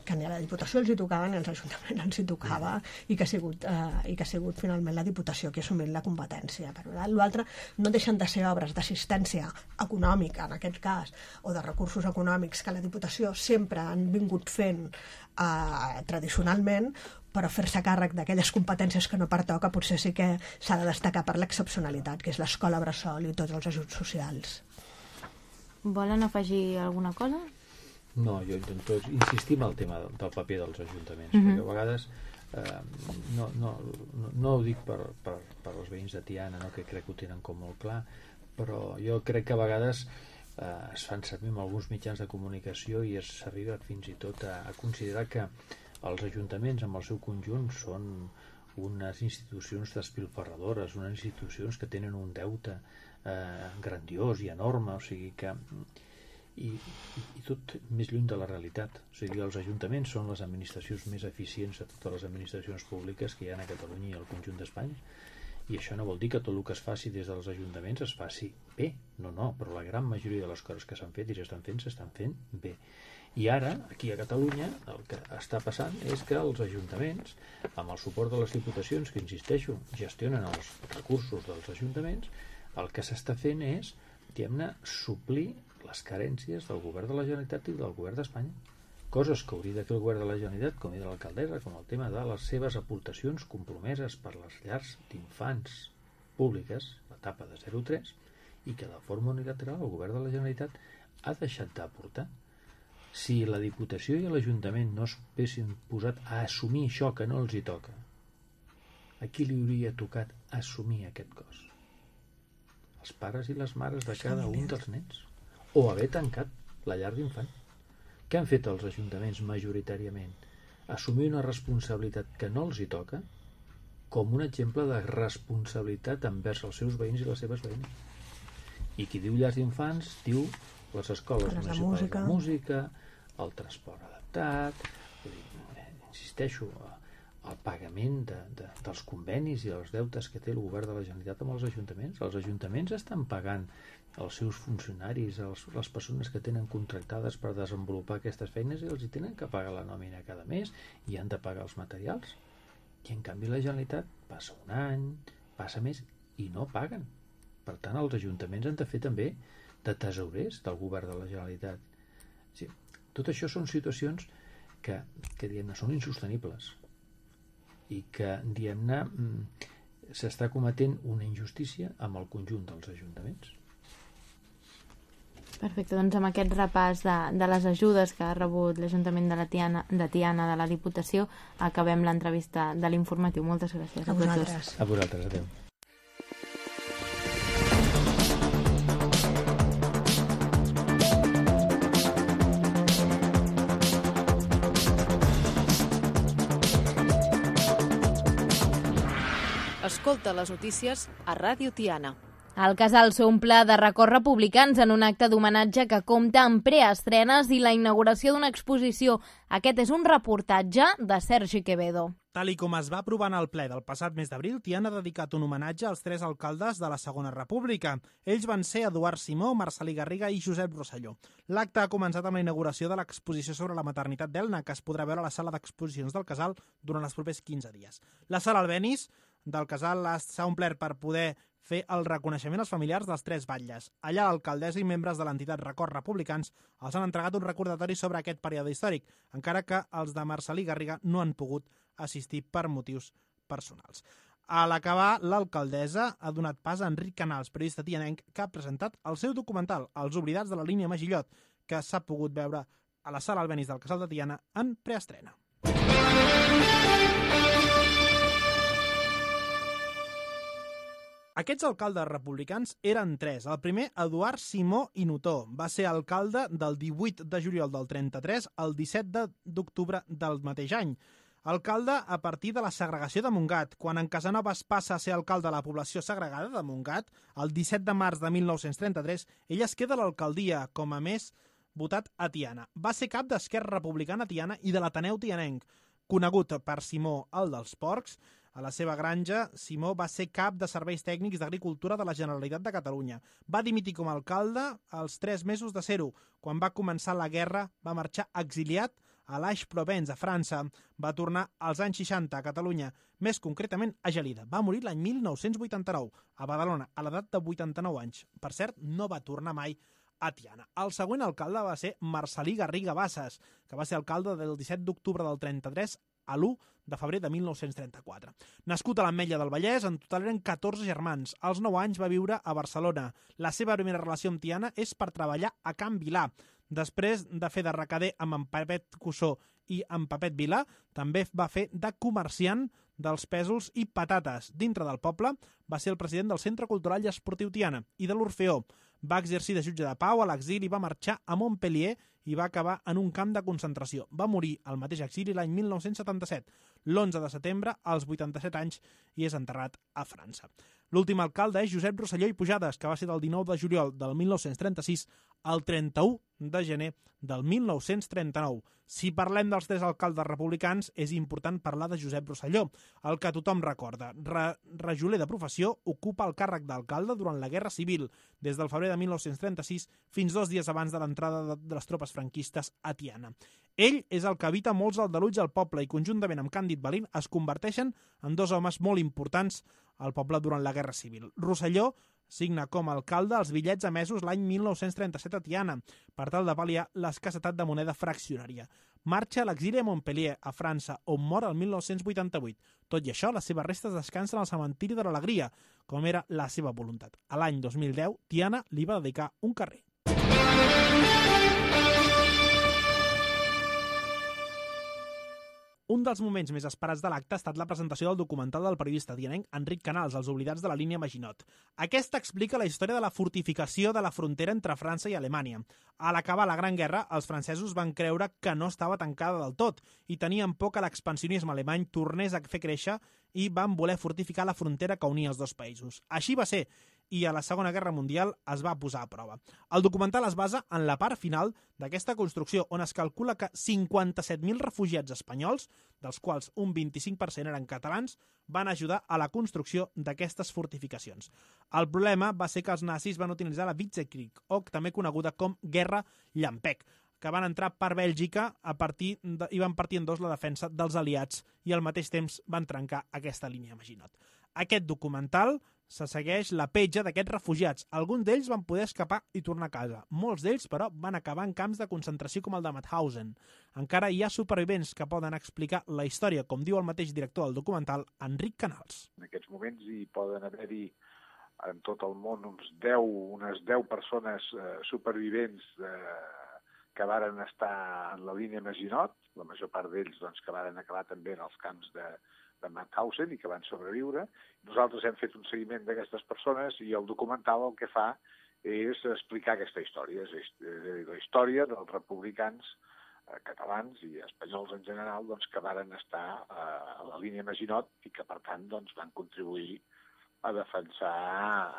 que ni a la Diputació els hi tocava ni als ajuntaments els hi tocava i que ha sigut, eh, i que ha sigut finalment la Diputació que ha assumit la competència. Per l'altre, no deixen de ser obres d'assistència econòmica, en aquest cas, o de recursos econòmics que la Diputació sempre han vingut fent eh, tradicionalment, però fer-se càrrec d'aquelles competències que no pertoca potser sí que s'ha de destacar per l'excepcionalitat, que és l'escola bressol i tots els ajuts socials.
Volen afegir alguna cosa?
No, jo intento insistir en el tema del paper dels ajuntaments,
Mhm.
perquè a vegades eh, no, no, no, no ho dic per, per, per als veïns de Tiana, no, que crec que ho tenen com molt clar, però jo crec que a vegades eh, es fan servir amb alguns mitjans de comunicació i s'arriba fins i tot a, a considerar que els ajuntaments amb el seu conjunt són unes institucions despilfarradores, unes institucions que tenen un deute eh, grandiós i enorme, o sigui que i, i, i tot més lluny de la realitat. O sigui, els ajuntaments són les administracions més eficients de totes les administracions públiques que hi ha a Catalunya i al conjunt d'Espanya, i això no vol dir que tot el que es faci des dels ajuntaments es faci bé, no, no, però la gran majoria de les coses que s'han fet i s'estan fent, s'estan fent bé. I ara, aquí a Catalunya, el que està passant és que els ajuntaments, amb el suport de les diputacions, que insisteixo, gestionen els recursos dels ajuntaments, el que s'està fent és, diguem-ne, suplir les carències del govern de la Generalitat i del govern d'Espanya. Coses que hauria de fer el govern de la Generalitat, com era l'alcaldessa, com el tema de les seves aportacions compromeses per les llars d'infants públiques, l'etapa de zero a tres, i que de forma unilateral el govern de la Generalitat ha deixat d'aportar. Si la Diputació i l'Ajuntament no es haguessin posat a assumir això que no els hi toca, a qui li hauria tocat assumir aquest cost? Els pares i les mares de cada un dels nens, o haver tancat la llar d'infant. Què han fet els ajuntaments majoritàriament? Assumir una responsabilitat que no els hi toca com un exemple de responsabilitat envers els seus veïns i les seves veïnes. I qui diu llars d'infants diu les escoles
de
municipals
música.
de música, el transport adaptat, vull dir, insisteixo, el pagament de, de, dels convenis i els deutes que té el govern de la Generalitat amb els ajuntaments. Els ajuntaments estan pagant els seus funcionaris, els, les persones que tenen contractades per desenvolupar aquestes feines, i els hi tenen que pagar la nòmina cada mes i han de pagar els materials. I en canvi la Generalitat passa un any, passa més i no paguen. Per tant, els ajuntaments han de fer també de tesorers del govern de la Generalitat. Sí, tot això són situacions que, que diguem-ne, són insostenibles i que, diguem-ne, s'està cometent una injustícia amb el conjunt dels ajuntaments.
Perfecte, doncs amb aquest repàs de, de les ajudes que ha rebut l'Ajuntament de, la Tiana, de Tiana de la Diputació, acabem l'entrevista de l'informatiu. Moltes gràcies a,
A
tots
vosaltres.
dos.
A vosaltres, adeu.
Escolta les notícies a Ràdio Tiana.
El Casal s'omple de records republicans en un acte d'homenatge que compta amb preestrenes i la inauguració d'una exposició. Aquest és un reportatge de Sergi Quevedo.
Tal i com es va aprovar en el ple del passat mes d'abril, Tiana ha dedicat un homenatge als tres alcaldes de la Segona República. Ells van ser Eduard Simó, Marcel·lí Garriga i Josep Rosselló. L'acte ha començat amb la inauguració de l'exposició sobre la maternitat d'Elna, que es podrà veure a la sala d'exposicions del Casal durant els propers quinze dies. La sala Albéniz del Casal s'ha omplert per poder fer el reconeixement als familiars dels tres batlles. Allà l'alcaldessa i membres de l'entitat Records Republicans els han entregat un recordatori sobre aquest període històric, encara que els de Marcel·lí Garriga no han pogut assistir per motius personals. A l'acabar, l'alcaldessa ha donat pas a Enric Canals, periodista tianenc, que ha presentat el seu documental, Els oblidats de la línia Magillot, que s'ha pogut veure a la sala Albéniz del Casal de Tiana en preestrena. Aquests alcaldes republicans eren tres. El primer, Eduard Simó i Notó. Va ser alcalde del divuit de juliol del trenta-tres al disset d'octubre del mateix any. Alcalde a partir de la segregació de Montgat. Quan en Casanovas passa a ser alcalde de la població segregada de Montgat, el disset de març de mil nou-cents trenta-tres, ell es queda a l'alcaldia, com a més votat a Tiana. Va ser cap d'Esquerra Republicana Tiana i de l'Ateneu Tianenc. Conegut per Simó, el dels porcs, A la seva granja, Simó va ser cap de serveis tècnics d'agricultura de la Generalitat de Catalunya. Va dimitir com a alcalde als tres mesos de ser-ho. Quan va començar la guerra, va marxar exiliat a l'Aix-Provence, a França. Va tornar als anys seixanta a Catalunya, més concretament a Gelida. Va morir l'any mil nou-cents vuitanta-nou, a Badalona, a l'edat de vuitanta-nou anys. Per cert, no va tornar mai a Tiana. El següent alcalde va ser Marcel·lí Garriga Bassas, que va ser alcalde del disset d'octubre del trenta-tres a l'u de febrer de mil nou-cents trenta-quatre. Nascut a l'Ametlla del Vallès, en total eren catorze germans. Als nou anys va viure a Barcelona. La seva primera relació amb Tiana és per treballar a Can Vilà. Després de fer de recader amb en Pepet Cussó i en Pepet Vilà, també va fer de comerciant dels pèsols i patates. Dintre del poble va ser el president del Centre Cultural i Esportiu Tiana i de l'Orfeó. Va exercir de jutge de pau a l'exili, va marxar a Montpellier i va acabar en un camp de concentració. Va morir al mateix exili l'any mil nou-cents setanta-set, l'onze de setembre, als vuitanta-set anys, i és enterrat a França. L'últim alcalde és Josep Rosselló i Pujades, que va ser del dinou de juliol del mil nou-cents trenta-sis al trenta-u de gener del mil nou-cents trenta-nou. Si parlem dels tres alcaldes republicans, és important parlar de Josep Rosselló, el que tothom recorda. Re Rajoler de professió, ocupa el càrrec d'alcalde durant la Guerra Civil, des del febrer de mil nou-cents trenta-sis fins dos dies abans de l'entrada de les tropes franquistes a Tiana. Ell és el que evita molts aldarulls al poble i, conjuntament amb Càndid Balín, es converteixen en dos homes molt importants al poble durant la Guerra Civil. Rosselló signa com a alcalde els bitllets emesos l'any mil nou-cents trenta-set a Tiana, per tal de pal·liar l'escassetat de moneda fraccionària. Marxa a l'exili a Montpellier, a França, on mor el mil nou-cents vuitanta-vuit. Tot i això, les seves restes descansen al cementiri de l'Alegria, com era la seva voluntat. A l'any dos mil deu, Tiana li va dedicar un carrer. Un dels moments més esperats de l'acte ha estat la presentació del documental del periodista tianenc Enric Canals, Els oblidats de la línia Maginot. Aquesta explica la història de la fortificació de la frontera entre França i Alemanya. A l'acabar la Gran Guerra, els francesos van creure que no estava tancada del tot i tenien por que l'expansionisme alemany tornés a fer créixer i van voler fortificar la frontera que unia els dos països. Així va ser, i a la Segona Guerra Mundial es va posar a prova. El documental es basa en la part final d'aquesta construcció, on es calcula que cinquanta-set mil refugiats espanyols, dels quals un vint-i-cinc per cent eren catalans, van ajudar a la construcció d'aquestes fortificacions. El problema va ser que els nazis van utilitzar la Blitzkrieg, o també coneguda com Guerra Llampec, que van entrar per Bèlgica a partir de, i van partir en dos la defensa dels aliats i al mateix temps van trencar aquesta línia Maginot. Aquest documental se segueix la petja d'aquests refugiats. Alguns d'ells van poder escapar i tornar a casa. Molts d'ells, però, van acabar en camps de concentració com el de Mauthausen. Encara hi ha supervivents que poden explicar la història, com diu el mateix director del documental, Enric Canals.
En aquests moments hi poden haver-hi en tot el món uns deu, unes deu persones eh, supervivents eh, que varen estar en la línia Maginot, la major part d'ells doncs, que varen acabar també en els camps de de Mauthausen i que van sobreviure. Nosaltres hem fet un seguiment d'aquestes persones i el documental el que fa és explicar aquesta història, és la història dels republicans eh, catalans i espanyols en general doncs, que varen estar eh, a la línia Maginot i que, per tant, doncs, van contribuir a defensar,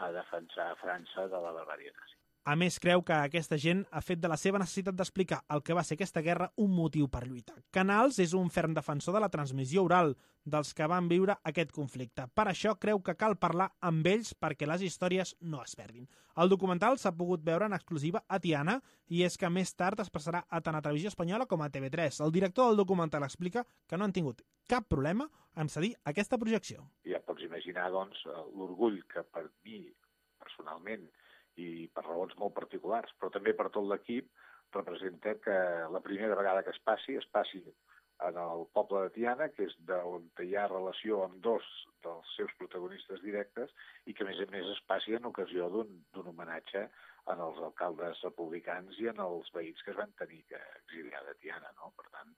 a defensar França de la barbàrie nazi.
A més, creu que aquesta gent ha fet de la seva necessitat d'explicar el que va ser aquesta guerra un motiu per lluitar. Canals és un ferm defensor de la transmissió oral dels que van viure aquest conflicte. Per això creu que cal parlar amb ells perquè les històries no es perdin. El documental s'ha pogut veure en exclusiva a Tiana i és que més tard es passarà a tant a Televisió Espanyola com a T V tres. El director del documental explica que no han tingut cap problema en cedir aquesta projecció.
Ja pots imaginar, doncs, l'orgull que per mi, personalment, i per raons molt particulars, però també per tot l'equip, representa que la primera vegada que es passi, es passi en el poble de Tiana, que és d'on hi ha relació amb dos dels seus protagonistes directes, i que, a més a més, es passi en ocasió d'un homenatge en els alcaldes republicans i en els veïns que es van tenir que exiliar de Tiana, no? Per tant,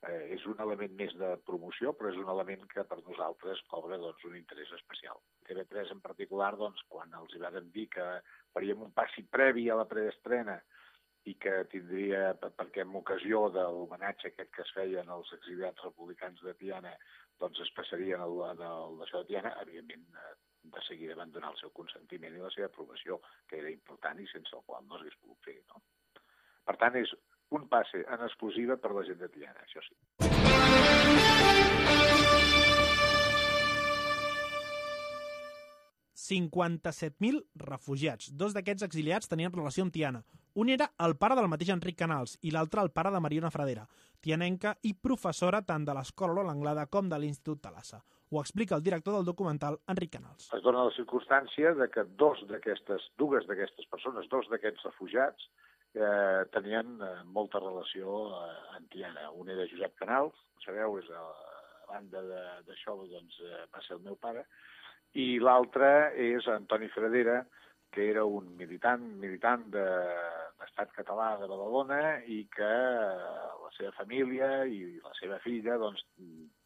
eh, és un element més de promoció, però és un element que per nosaltres cobra doncs, un interès especial. T V tres en particular, doncs, quan els hi van dir que faríem un passi previ a la preestrena i que tindria, perquè en ocasió de l'homenatge aquest que es feien als exiliats republicans de Tiana, doncs es passarien al d'això de Tiana, evidentment de seguida van donar el seu consentiment i la seva aprovació, que era important i sense el qual no s'hagués pogut fer, no? Per tant, és un passe en exclusiva per la gent de Tiana, això sí.
cinquanta-set mil refugiats. Dos d'aquests exiliats tenien relació amb Tiana. Un era el pare del mateix Enric Canals i l'altre el pare de Mariona Fradera, tianenca i professora tant de l'Escola Lola Anglada com de l'Institut Thalassa. Ho explica el director del documental, Enric Canals.
Es dona la circumstància de que dos d'aquestes, dues d'aquestes persones, dos d'aquests refugiats, eh, tenien eh, molta relació eh, amb Tiana. Un era Josep Canals, sabeu, és a, a banda d'això, doncs, eh, va ser el meu pare, i l'altre és Antoni Fradera, que era un militant militant de l'Estat català de Badalona i que la seva família i la seva filla doncs,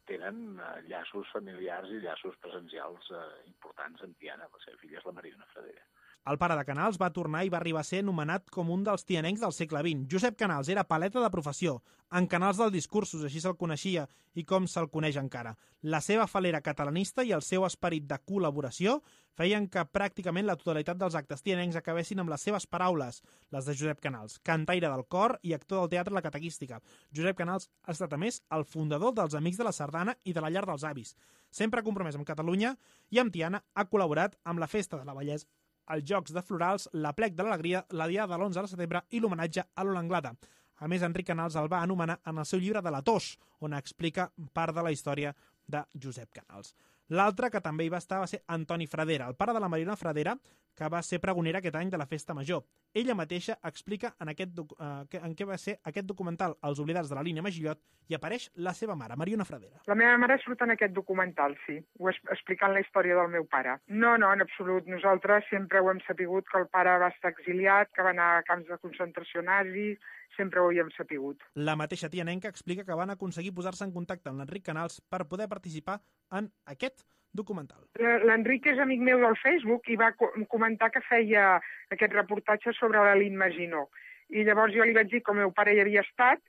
tenen llaços familiars i llaços presencials eh, importants amb Tiana. La seva filla és la Mariona Fradera.
El pare de Canals va tornar i va arribar a ser anomenat com un dels tianencs del segle vint. Josep Canals era paleta de professió, en Canals dels discursos, així se'l coneixia i com se'l coneix encara. La seva falera catalanista i el seu esperit de col·laboració feien que pràcticament la totalitat dels actes tianencs acabessin amb les seves paraules, les de Josep Canals, cantaire del cor i actor del teatre La Catequística. Josep Canals ha estat, a més, el fundador dels Amics de la Sardana i de la Llar dels Avis. Sempre compromès amb Catalunya i amb Tiana, ha col·laborat amb la Festa de la Bellesa, els Jocs de Florals, la Plec de l'Alegria, la Diada de l'onze de setembre i l'homenatge a Lola Anglada. A més, Enric Canals el va anomenar en el seu llibre de la Tos, on explica part de la història de Josep Canals. L'altre que també hi va estar va ser Antoni Fradera, el pare de la Mariona Fradera, que va ser pregonera aquest any de la Festa Major. Ella mateixa explica en, aquest eh, en què va ser aquest documental Els oblidats de la línia Magillot i apareix la seva mare, Mariona Fradera.
La meva mare surt en aquest documental, sí, ho és, explicant la història del meu pare. No, no, en absolut. Nosaltres sempre ho hem sapigut que el pare va estar exiliat, que va anar a camps de concentració nazis, sempre ho hi hem sapigut.
La mateixa tianenca explica que van aconseguir posar-se en contacte amb l'Enric Canals per poder participar en aquest documental.
L'Enric és amic meu del Facebook i va comentar que feia aquest reportatge sobre la Lynn Maginot. I llavors jo li vaig dir que el meu pare hi havia estat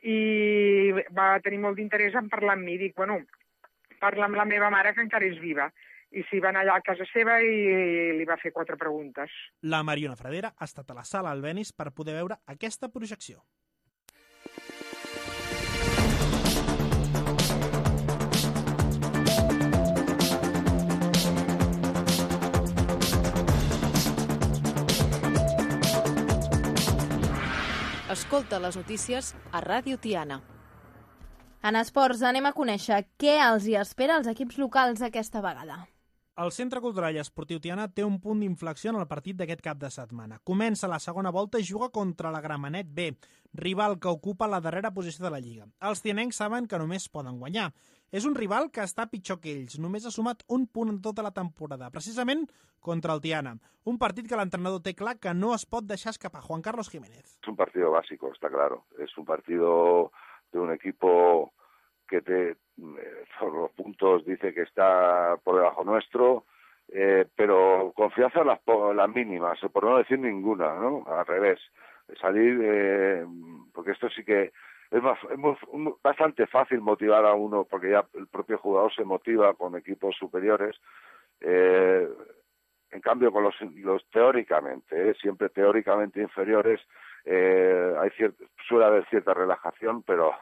i va tenir molt d'interès en parlar amb mi. Dic, bueno, parla amb la meva mare, que encara és viva. I s'hi va anar allà a casa seva i li va fer quatre preguntes.
La Mariona Fradera ha estat a la sala Albéniz per poder veure aquesta projecció.
Escolta les notícies a Ràdio Tiana.
En esports anem a conèixer què els hi espera als equips locals aquesta vegada.
El Centre Cultural i Esportiu Tiana té un punt d'inflexió en el partit d'aquest cap de setmana. Comença la segona volta i juga contra la Gramenet B, rival que ocupa la darrera posició de la Lliga. Els tianencs saben que només poden guanyar. És un rival que està pitjor que ells. Només ha sumat un punt en tota la temporada, precisament contra el Tiana. Un partit que l'entrenador té clar que no es pot deixar escapar. Juan Carlos Jiménez.
Es un partido básico, está claro. Es un partido de un equipo que te, por los puntos dice que está por debajo nuestro, eh, pero confianza en las, las mínimas, por no decir ninguna, ¿no? Al revés. Salir, eh, porque esto sí que es, más, es muy, bastante fácil motivar a uno, porque ya el propio jugador se motiva con equipos superiores. Eh, en cambio, con los, los teóricamente, eh, siempre teóricamente inferiores, eh, hay cier- suele haber cierta relajación, pero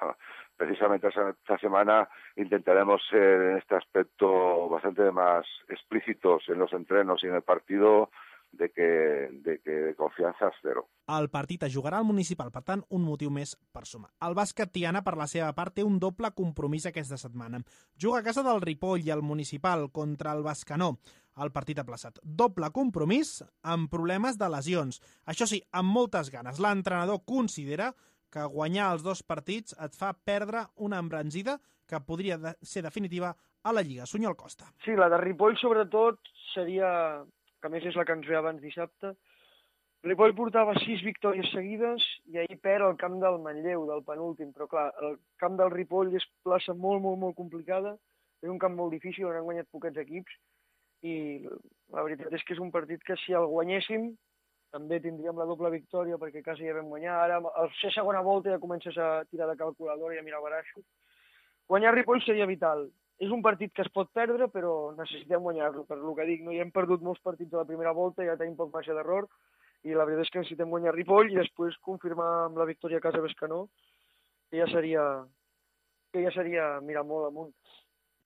precisamente esta semana intentaremos ser en este aspecto bastante más explícitos en los entrenos y en el partido, de que, de que de confiança cero.
El partit es jugarà al municipal, per tant, un motiu més per sumar. El bàsquet Tiana, per la seva part, té un doble compromís aquesta setmana. Juga a casa del Ripoll i al municipal contra el Bescanó. El partit aplaçat. Doble compromís amb problemes de lesions. Això sí, amb moltes ganes. L'entrenador considera que guanyar els dos partits et fa perdre una embranzida que podria de ser definitiva a la Lliga. Sunyol Costa.
Sí, la de Ripoll, sobretot, seria, que a més és la que ens ve abans dissabte. Ripoll portava sis victòries seguides i ahir perd el camp del Manlleu, del penúltim. Però clar, el camp del Ripoll és plaça molt, molt, molt complicada. És un camp molt difícil, on han guanyat poquets equips. I la veritat és que és un partit que si el guanyéssim també tindríem la doble victòria, perquè quasi ja vam guanyar. Ara, al ser segona volta, ja comences a tirar de calculadora i a mirar baraixo. Guanyar Ripoll seria vital. És un partit que es pot perdre, però necessitem guanyar-lo, per lo que dic. No hi hem perdut molts partits a la primera volta, ja tenim poc marge d'error, i la veritat és que necessitem guanyar Ripoll i després confirmar amb la victòria a casa Bescanó, que ja seria, que ja seria mirar molt amunt.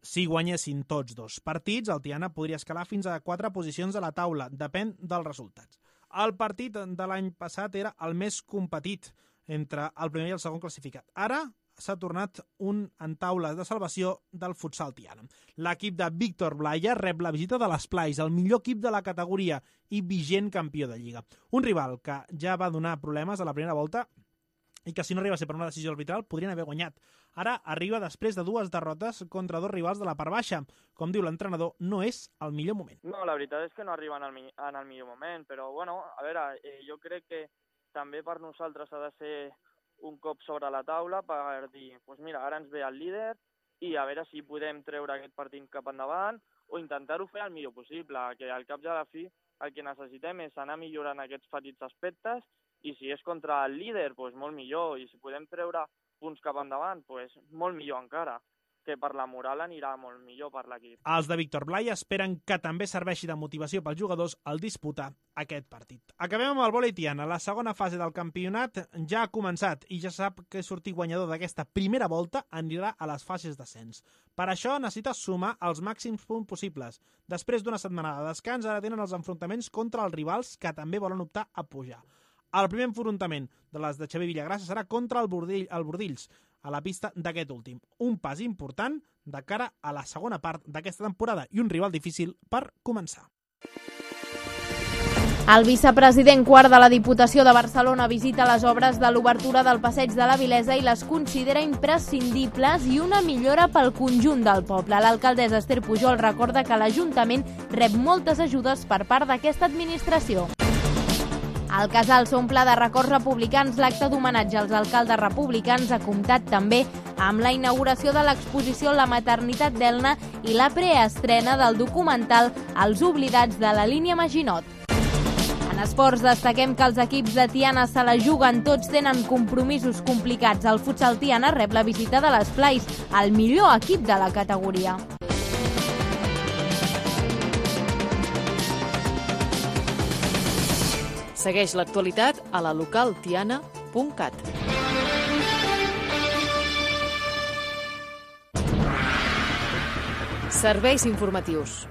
Si guanyessin tots dos partits, el Tiana podria escalar fins a quatre posicions a la taula, depèn dels resultats. El partit de l'any passat era el més competit entre el primer i el segon classificat. Ara s'ha tornat un en taula de salvació del futsal Tiana. L'equip de Víctor Blaya rep la visita de l'Esplais, el millor equip de la categoria i vigent campió de Lliga. Un rival que ja va donar problemes a la primera volta i que si no arriba a ser per una decisió arbitral podrien haver guanyat. Ara arriba després de dues derrotes contra dos rivals de la part baixa. Com diu l'entrenador, no és el millor moment.
No, la veritat és que no arriba en el, en el millor moment, però bueno, a veure, eh, jo crec que també per nosaltres ha de ser un cop sobre la taula per dir, pues mira, ara ens ve el líder i a veure si podem treure aquest partit cap endavant o intentar-ho fer el millor possible, que al cap i a la fi el que necessitem és anar millorant aquests petits aspectes i si és contra el líder, doncs molt millor, i si podem treure punts cap endavant, doncs molt millor encara, que per la moral anirà molt millor per l'equip.
Els de Víctor Blaya esperen que també serveixi de motivació pels jugadors al disputar aquest partit. Acabem amb el vòlei Tiana. La segona fase del campionat ja ha començat i ja sap que sortir guanyador d'aquesta primera volta anirà a les fases d'ascens. Per això necessita sumar els màxims punts possibles. Després d'una setmana de descans, ara tenen els enfrontaments contra els rivals que també volen optar a pujar. El primer enfrontament de les de Xavier Villagrassa serà contra el, Bordill, el Bordills, a la pista d'aquest últim. Un pas important de cara a la segona part d'aquesta temporada i un rival difícil per començar.
El vicepresident quart de la Diputació de Barcelona visita les obres de l'obertura del Passeig de la Vilesa i les considera imprescindibles i una millora pel conjunt del poble. L'alcaldessa Esther Pujol recorda que l'Ajuntament rep moltes ajudes per part d'aquesta administració. El casal s'omple de records republicans. L'acte d'homenatge als alcaldes republicans ha comptat també amb la inauguració de l'exposició La maternitat d'Elna i la preestrena del documental Els oblidats de la línia Maginot. En esports destaquem que els equips de Tiana se la juguen, tots tenen compromisos complicats. El futsal Tiana rep la visita de l'Esplais, el millor equip de la categoria.
Segueix l'actualitat a la local tiana punt cat. Serveis informatius.